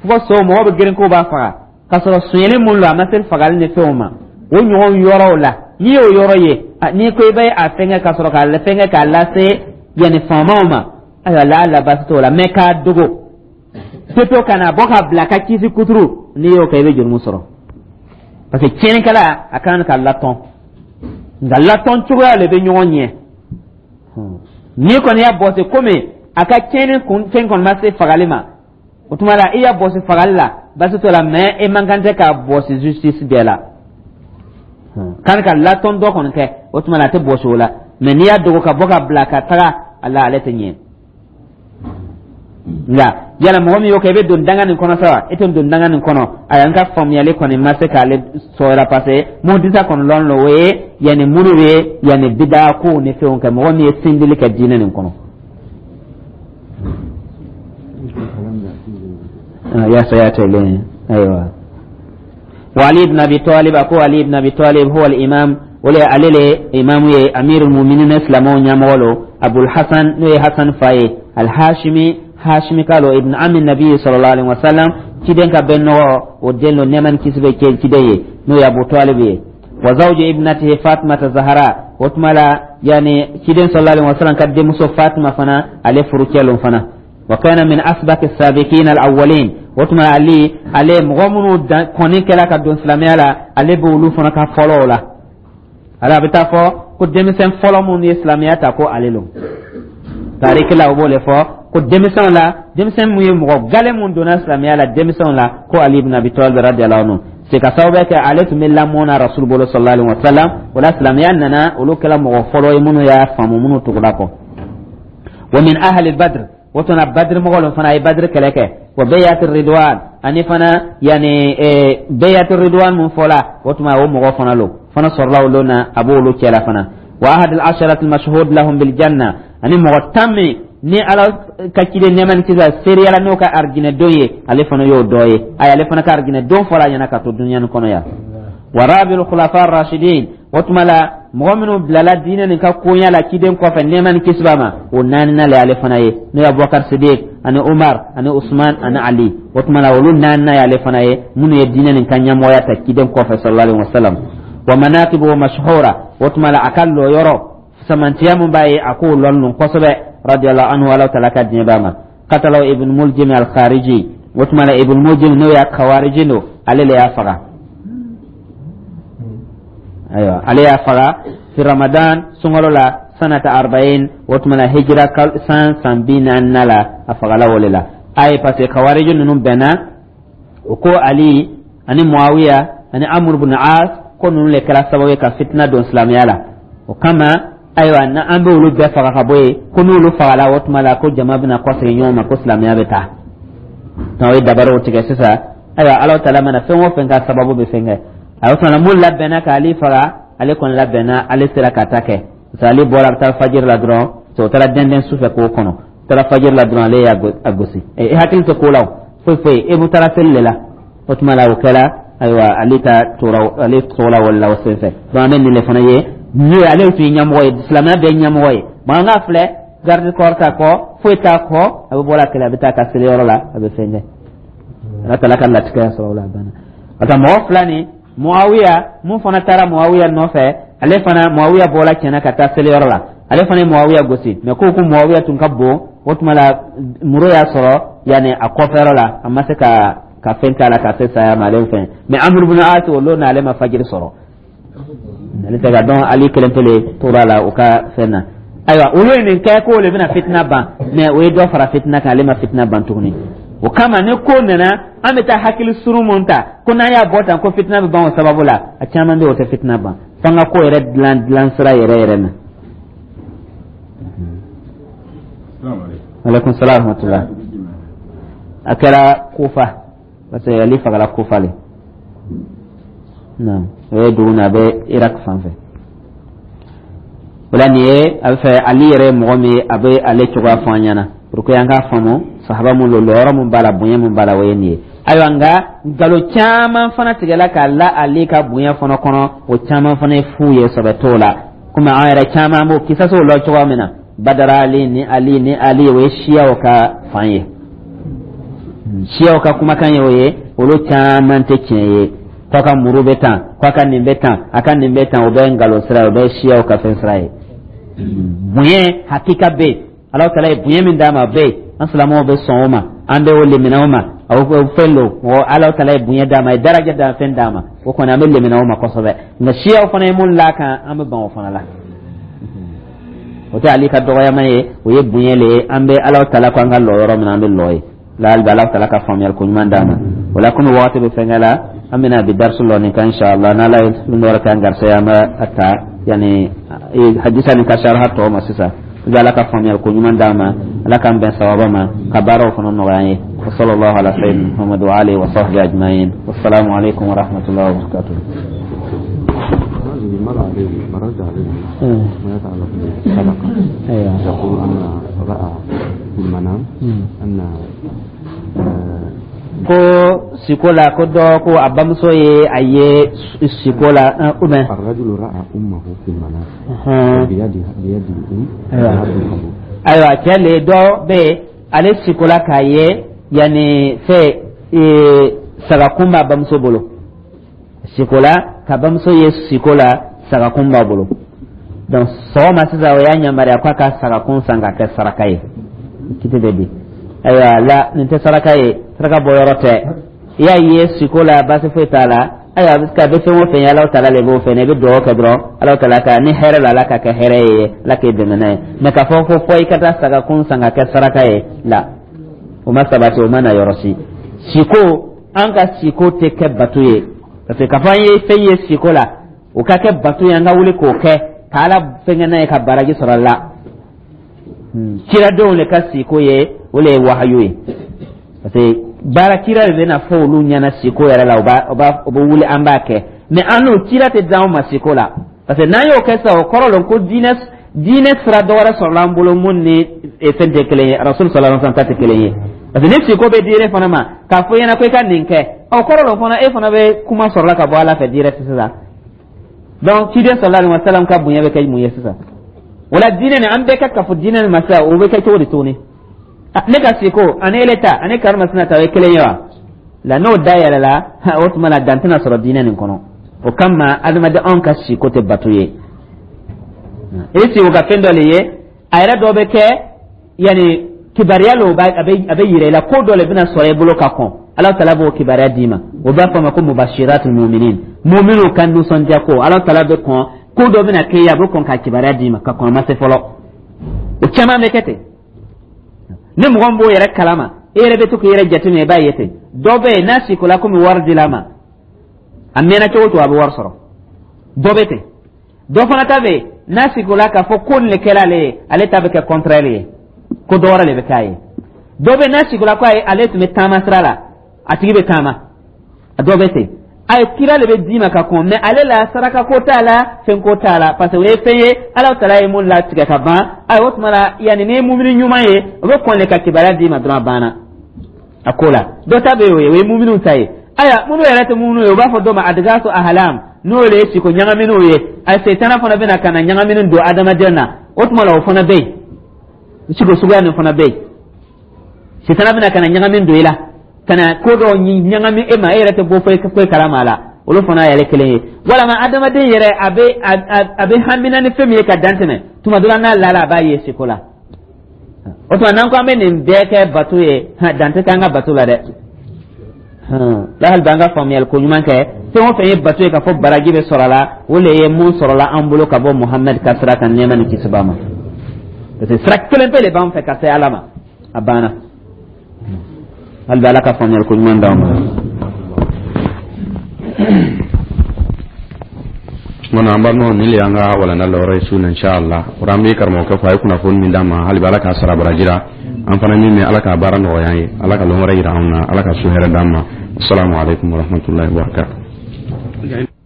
fo so mɔgɔ bɛ girin k'o b'a faga k'a sɔrɔ sonyɛli mun lo, a ma se fagali ni fɛnw ma, o ɲɔgɔn yɔrɔw la, n'i y'o yɔrɔ ye, n'i ko i bɛ a fɛngɛ ka sɔrɔ k'a fɛngɛ k'a lase yanni faamaw ma, ayiwa, la la baasi t'o la. Mɛ k'a dogo pepewu ka na bɔ ka bila ka kisi kuturu, n'i y'o kɛ, i bɛ jurumu sɔrɔ, parce que tiɲɛnikɛla a kan ka latɔn, nka latɔn cogoya de bɛ ɲɔgɔn ɲɛ. N'i kɔni y'a bɔsi komi a ka tiɲɛni kun fɛn kɔni ma se fagali ma, o tuma la i y'a bɔsi fagali la, baasi t'o la. Mɛ e man kan tɛ k'a bɔsi justice bɛɛ la kan ka latɔn dɔ kɔni kɛ, o tuma la a tɛ bɔsi o la. Mɛ n'i y'a dogo ka bɔ ka bila ka taga a la, ale tɛ ɲɛ. Nka yala mɔgɔ min y'o kɛ, i bɛ don danga nin kɔnɔ sa wa, e tɛ don danga nin kɔnɔ? Ayi, an ka faamuyali kɔni ma se k'ale sɔrɔ, parce que muhdisa kɔni lɔn lo, o ye yanni muru ye, yanni bida kow ni fɛnw kɛ, mɔgɔ min ye sindili kɛ diinɛ nin kɔnɔ. Ya sayata ilayhi. Ayiwa, wa Ali ibn Abi Talib, ako Ali ibn Abi Talib huwa al-imam, wala ale le imamu ye, amirul mu'minin, silamɛw ɲɛmɔgɔ lo, Abul Hasan, n'o ye Hasan fa ye, al-Hashimi, Hashimi ka lo, ibn ami nabi sallallahu alaihi wasallam, ciden ka bɛn nɔgɔ o den lo, nɛɛma ni kisi bɛ cɛ ciden ye, n'o ye Abu Talib ye, wa zawju ibnatihi Fatimata Zahara. O tuma la yani ciden sallallahu alaihi wasallam ka denmuso Fatima fana, ale furucɛ lo fana. Wa kana min asbaqi sabiqin al-awwalin. O tuma Ali, ale mɔgɔ minnu kɔni kɛla ka don silamɛya la, ale b'olu fana ka fɔlɔw la. Ala a bɛ taa fɔ ko denmisɛn fɔlɔ minnu ye silamɛya ta, ko ale lo. Tariki la, o b'o le fɔ ko denmisɛnw la, denmisɛn mun ye mɔgɔ gale mun donna silamɛya la denmisɛnw la, ko Ali ibn Abi Talib radiyallahu anhu. C'est ka sababu kɛ ale tun bɛ lamɔ na Rasul bolo sallallahu alaihi wa sallam. O la silamɛya nana, olu kɛra mɔgɔ fɔlɔ ye minnu y'a faamu, minnu tugura kɔ. Wa min ahli Badr, o tuma Badr mɔgɔ lo fana, a ye Badr kɛlɛ kɛ. Wa bayat ridwan, ani fana yani bayat ridwan mun fɔla, o tuma o mɔgɔ fana lo fana sɔrɔla olu na, a b'olu cɛla fana. Wa ahad al asharat al mashhud lahum bil janna, ani mɔgɔ tan min ni Ala ka ciden nɛɛma ni kisi seereyala n'o ka arijinɛ don ye, ale fana y'o dɔ ye. Ayi, ale fana ka arijinɛ don fɔra a ɲɛna ka to dunuya nin kɔnɔ yan. Wa rabiul khulafa rashidin, o tuma la mɔgɔ minnu bilala diinɛ nin ka koɲa la ciden kɔfɛ, nɛɛma ni kisi b'a ma, o naaninan le ale fana ye, n'o ye Abubakar Sidik ani Umar ani Usman ani Ali. O tuma la olu naaninan ye ale fana ye, minnu ye diinɛ nin ka ɲɛmɔgɔya ta ciden kɔfɛ sallallahu alaihi wasallam. Wa manaqibu mashhura, o tuma la a ka lɔyɔrɔ samantiya mun b'a ye, a k'o lɔn nun kosɛbɛ, radiyallahu anhu, Ala taala ka diɲɛ b'a ma. Qatalahu Ibn Muljim al-Khariji, o tuma la Ibn Muljim, n'o y'a Khawariji don, ale le y'a faga. Ayiwa, ale y'a faga fi Ramadan, sunkalo la, sanata arba'in, o tuma la hijira san san bi naani la, a fagala o le la. Ayi, parce que Khawariji ninnu bɛnna o ko Ali ani Muawiya ani Amr ibn As, ko ninnu le kɛra sababu ye ka fitina don silamɛya la. O kama, ayiwa, na an bɛ olu bɛɛ faga ka bɔ yen, ko n'olu fagala, o tuma la ko jama bɛna kɔsegin ɲɔgɔn ma, ko silamɛya bɛ taa. O ye dabaraw tigɛ sisan. Ayiwa, Ala taala mana fɛn o fɛn ka sababu bɛ fɛn kɛ, a o tuma mun labɛnna k'ale faga, ale kɔni labɛnna, ale sera ka ta kɛ, parce que ale bɔra, a bɛ taa fajiri la dɔrɔn, o taara dɛndɛn su fɛ k'o kɔnɔ, taara fajiri la dɔrɔn, ale y'a gosi. E hakili tɛ ko la, o foyi foyi, e bɛ taara seli de la. O tuma la o kɛra, ayiwa, ale ta tora, ale tora o la o senfɛ. Donc an bɛ nin de fana ye, n'o ye ale tun ye ɲɛmɔgɔ ye, silamɛya bɛɛ ɲɛmɔgɔ ye. Maa n ka filɛ, garde corps t'a kɔ, foyi t'a kɔ, a bɛ bɔ la kɛlɛ, a bɛ taa ka seliyɔrɔ la, a bɛ fɛn kɛ. Ala taala ka latigɛ sɔrɔ o la, a banna. Ka taa mɔgɔ fila ni Muawiya mun fana taara Muawiya nɔfɛ, ale fana Muawiya bɔra tiɲɛna ka taa seliyɔrɔ la, ale fana ye Muawiya gosi. Mɛ ko ko Muawiya tun ka bon, o tuma la muru y'a sɔrɔ yanni a kɔfɛyɔrɔ la, a ma se ka ka fɛn k'a la ka se saya ma, ale fɛn. Mɛ Amr ibn As, o lon n'ale ma fajiri sɔrɔ, ale tɛ ka dɔn, Ali kelen pele tora la o ka fɛn na. Ayiwa, olu ye nin kɛ k'o le bɛna fitina ban, mɛ o ye dɔ fara fitina kan, ale ma fitina ban tuguni. O kama ni ko nana, an bɛ taa hakili surun mun ta ko n'an y'a bɔ tan ko fitina bɛ ban o sababu la, a caman bɛ yen, o tɛ fitina ban. F'an ka ko yɛrɛ dilan dilan sira yɛrɛ yɛrɛ na. Aleykum salaam wa rahmatulah. A kɛra Kufa, parce que Ali fagala Kufa le. Naam, o ye dugu min a bɛ Irak fan fɛ. O la nin ye a bɛ fɛ Ali yɛrɛ ye mɔgɔ min ye, a bɛ ale cogoya fɔ an ɲɛna pour que an k'a faamu sahaba mun don, lɔyɔrɔ mun b'a la, bonya mun b'a la, o ye nin ye. Ayiwa, nka nkalon caman fana tigɛla k'a la Ale ka bonya fana kɔnɔ, o caman fana ye fu ye, sɛbɛ t'o la. Komi an yɛrɛ caman b'o kisasow lɔ cogoya min na, Badara Ali ni Ali ni Ali, o ye siyaw ka fan ye, siyaw ka kumakan ye, o ye olu caman tɛ tiɲɛ ye. K'a ka muru bɛ tan, k'a ka nin bɛ tan, a ka nin bɛ tan, o bɛ nkalon sira ye, o bɛ siyaw ka fɛn sira ye. Bonya hakika bɛ yen, Ala taala ye bonya min d'a ma, bɛ yen, an silamɛw bɛ sɔn o ma, an bɛ o lemina o ma. O fɛn don, mɔgɔ Ala taala ye bonya d'a ma, a ye daraja d'a fɛn d'a ma, o kɔni an bɛ lemina o ma kosɛbɛ. Nka siyaw fana ye mun l'a kan, an bɛ ban o fana la. O tɛ Ali ka dɔgɔyama ye, o ye bonya le ye. An bɛ Ala taala ko an ka lɔ yɔrɔ min na, an bɛ lɔ ye la. Hali bi Ala taala ka faamuyali ko ɲuman d'a ma. O la, komi wagati bɛ fɛnkɛ la, an bɛna bi darisu lɔ nin kan, inshallah. N'Ala ye fɛn dɔ wɛrɛ k'an garisɛgɛ, an bɛ a ta yanni hadisa nin ka saraha tɔ ma sisan. I bɛ Ala ka faamuyali ko ɲuman d'a ma, Ala k'an bɛn sababa ma, ka baaraw fana nɔgɔya an ye. Wa sallallahu ala sayyidina Muhammad wa alihi wa sahbihi ajma'in. Wassalamu alaikum wa rahmatullahi wa barakatuh. مر عليه مررت عليه ما يتعلق بالصدقة. أيوة. يقول أن رأى في المنام أن Ko siko la, ko dɔ ko a bamuso ye a ye siko la ou bien الرجل رأى أمه في المنام بيدها بيد الأم. أيوة. يد القبور. Ayiwa, cɛ le dɔ bɛ yen, ale siko la k'a ye yanni fɛ ee sagakun b'a bamuso bolo siko la, ka bamuso ye siko la, sagakun b'a bolo. Donc sɔgɔma sisan, o y'a yamaruya k'a ka sagakun san k'a kɛ saraka ye. Kiti bɛ di. Ayiwa, la nin tɛ saraka ye, saraka bɔ yɔrɔ tɛ. I y'a ye siko la, baasi foyi t'a la. Ayiwa, parce que a bɛ fɛn o fɛn ye, Alahu taala le b'o fɛn, i bɛ dugawu kɛ dɔrɔn, Alahu taala ka ni hɛrɛ la, Ala ka kɛ hɛrɛ ye, Ala k'e dɛmɛ n'a ye. Mɛ k'a fɔ ko fɔ i ka taa sagakun san ka kɛ saraka ye la, o ma sabati, o ma na yɔrɔ si. Siko, an ka siko tɛ kɛ bato ye, parce que k'a fɔ an ye fɛn ye siko la, o ka kɛ bato ye, an ka wuli k'o kɛ ka Ala fɛnkɛ n'a ye ka baraji sɔrɔ a la. Kiradenw le ka siko ye, o le ye wahayu ye, parce que baara kira de bɛna fɔ olu ɲɛna siko yɛrɛ la, o b'a o b'a o bɛ wuli, an b'a kɛ. Mais an n'o kira tɛ d'anw ma siko la, parce que n'an y'o kɛ sisan, o kɔrɔ lon ko diinɛ diinɛ sira dɔ wɛrɛ sɔrɔla an bolo mun ni fɛn tɛ kelen ye, Rasul sallallahu alaihi wasallam ta tɛ kelen ye. Parce que ni siko bɛ diinɛ fana ma k'a fɔ i ɲɛna ko i ka nin kɛ, o kɔrɔ lon fana e fana bɛ kuma sɔrɔla ka bɔ Ala fɛ direct sisan. Donc ciden sallallahu alaihi wasallam ka bonya bɛ kɛ mun ye sisan? O la diinɛ nin, an bɛɛ ka kafo diinɛ nin ma sisan, o bɛ kɛ cogo di tuguni? Ne ka siko ani ele ta ani karimasina ta, o ye kelen ye wa? La n'o dayɛlɛla, o tuma na dan tɛna sɔrɔ diinɛ nin kɔnɔ. O kama adamaden, anw ka siko tɛ bato ye. I siko ka fɛn dɔ le ye, a yɛrɛ dɔ bɛ kɛ yanni kibaruya le, a bɛ a bɛ yira i la ko dɔ le bɛna sɔrɔ i bolo ka kɔn. Ala taala b'o kibaruya d'i ma, o b'a fɔ a ma ko mubashiratul muminin, muminuw ka nisɔndiya ko. Ala taala bɛ kɔn ko dɔ bɛna kɛ ye, a bɛ kɔn ka kibaruya d'i ma ka kɔn a ma se fɔlɔ. O caman bɛ kɛ ten. Ni mɔgɔ min b'o yɛrɛ kalama, e yɛrɛ bɛ to k'i yɛrɛ jateminɛ, i b'a ye ten. Dɔ bɛ yen, n'a sikola komi wari dil'a ma, a mɛnna cogo o cogo, a bɛ wari sɔrɔ. Dɔ bɛ ten. Dɔ fana ta bɛ yen, n'a sikola k'a fɔ ko nin de kɛra ale ye, ale ta bɛ kɛ contraire ye, ko dɔ wɛrɛ de bɛ k'a ye. Dɔ bɛ yen, n'a sikola ko ayi, ale tun bɛ taama sira la, a tigi bɛ taama. A dɔ bɛ ten. A ye kira de bɛ d'i ma ka kɔn, mɛ ale la saraka ko t'a la, fɛn ko t'a la, parce que o ye fɛn ye Ala taala ye mun latigɛ ka ban. Ayi, o tuma la yanni ni ye mumini ɲuman ye, o bɛ kɔn de ka kibaruya d'i ma dɔrɔn, a banna a ko la. Dɔ ta bɛ yen, o ye o ye muminiw ta ye. Ayiwa, minnu yɛrɛ tɛ muminiw ye, u b'a fɔ dɔ ma adgasu ahlam, n'o de ye siko ɲagaminw ye. A setana fana bɛna ka na ɲagamini don adamaden na. O tuma la, o fana bɛ yen, siko suguya nin fana bɛ yen. Setana bɛna ka na ɲagami don i la, ka na ko dɔw ɲagami e ma, e yɛrɛ tɛ bɔ foyi foyi kalama a la. Olu fana yɛrɛ kelen ye. Walama adamaden yɛrɛ a bɛ a bɛ hamina ni fɛn min ye ka dan tɛmɛ, tuma dɔ la n'a lala, a b'a ye siko la. O tuma n'an ko an bɛ nin bɛɛ kɛ bato ye, dan tɛ k'an ka bato la dɛ. Lahali b'an ka faamuyali ko ɲuman kɛ. Fɛn o fɛn ye bato ye k'a fɔ baraji bɛ sɔrɔ a la, o le ye mun sɔrɔla an bolo ka bɔ Muhamɛd ka sira kan, nɛɛma ni kisi b'a ma, parce que sira kelen pe de b'an fɛ ka se Ala ma, a banna. Hali bi, Ala ka faamuyali ko ɲuman d'aw ma. Tuma an balimaw, nin le y'an ka walanda lɔyɔrɔ ye su na, inshallah. O an bɛ karamɔgɔkɛ fɔ a ye kunnafoni min d'an ma. Hali bi, Ala k'a sara baraji ra. An fana min mɛn, Ala k'a baara nɔgɔya an ye. Ala ka lɔn wɛrɛ yira anw na. Ala ka su hɛrɛ d'an ma. Assalamu alaikum warahmatullahi wabarakatuh.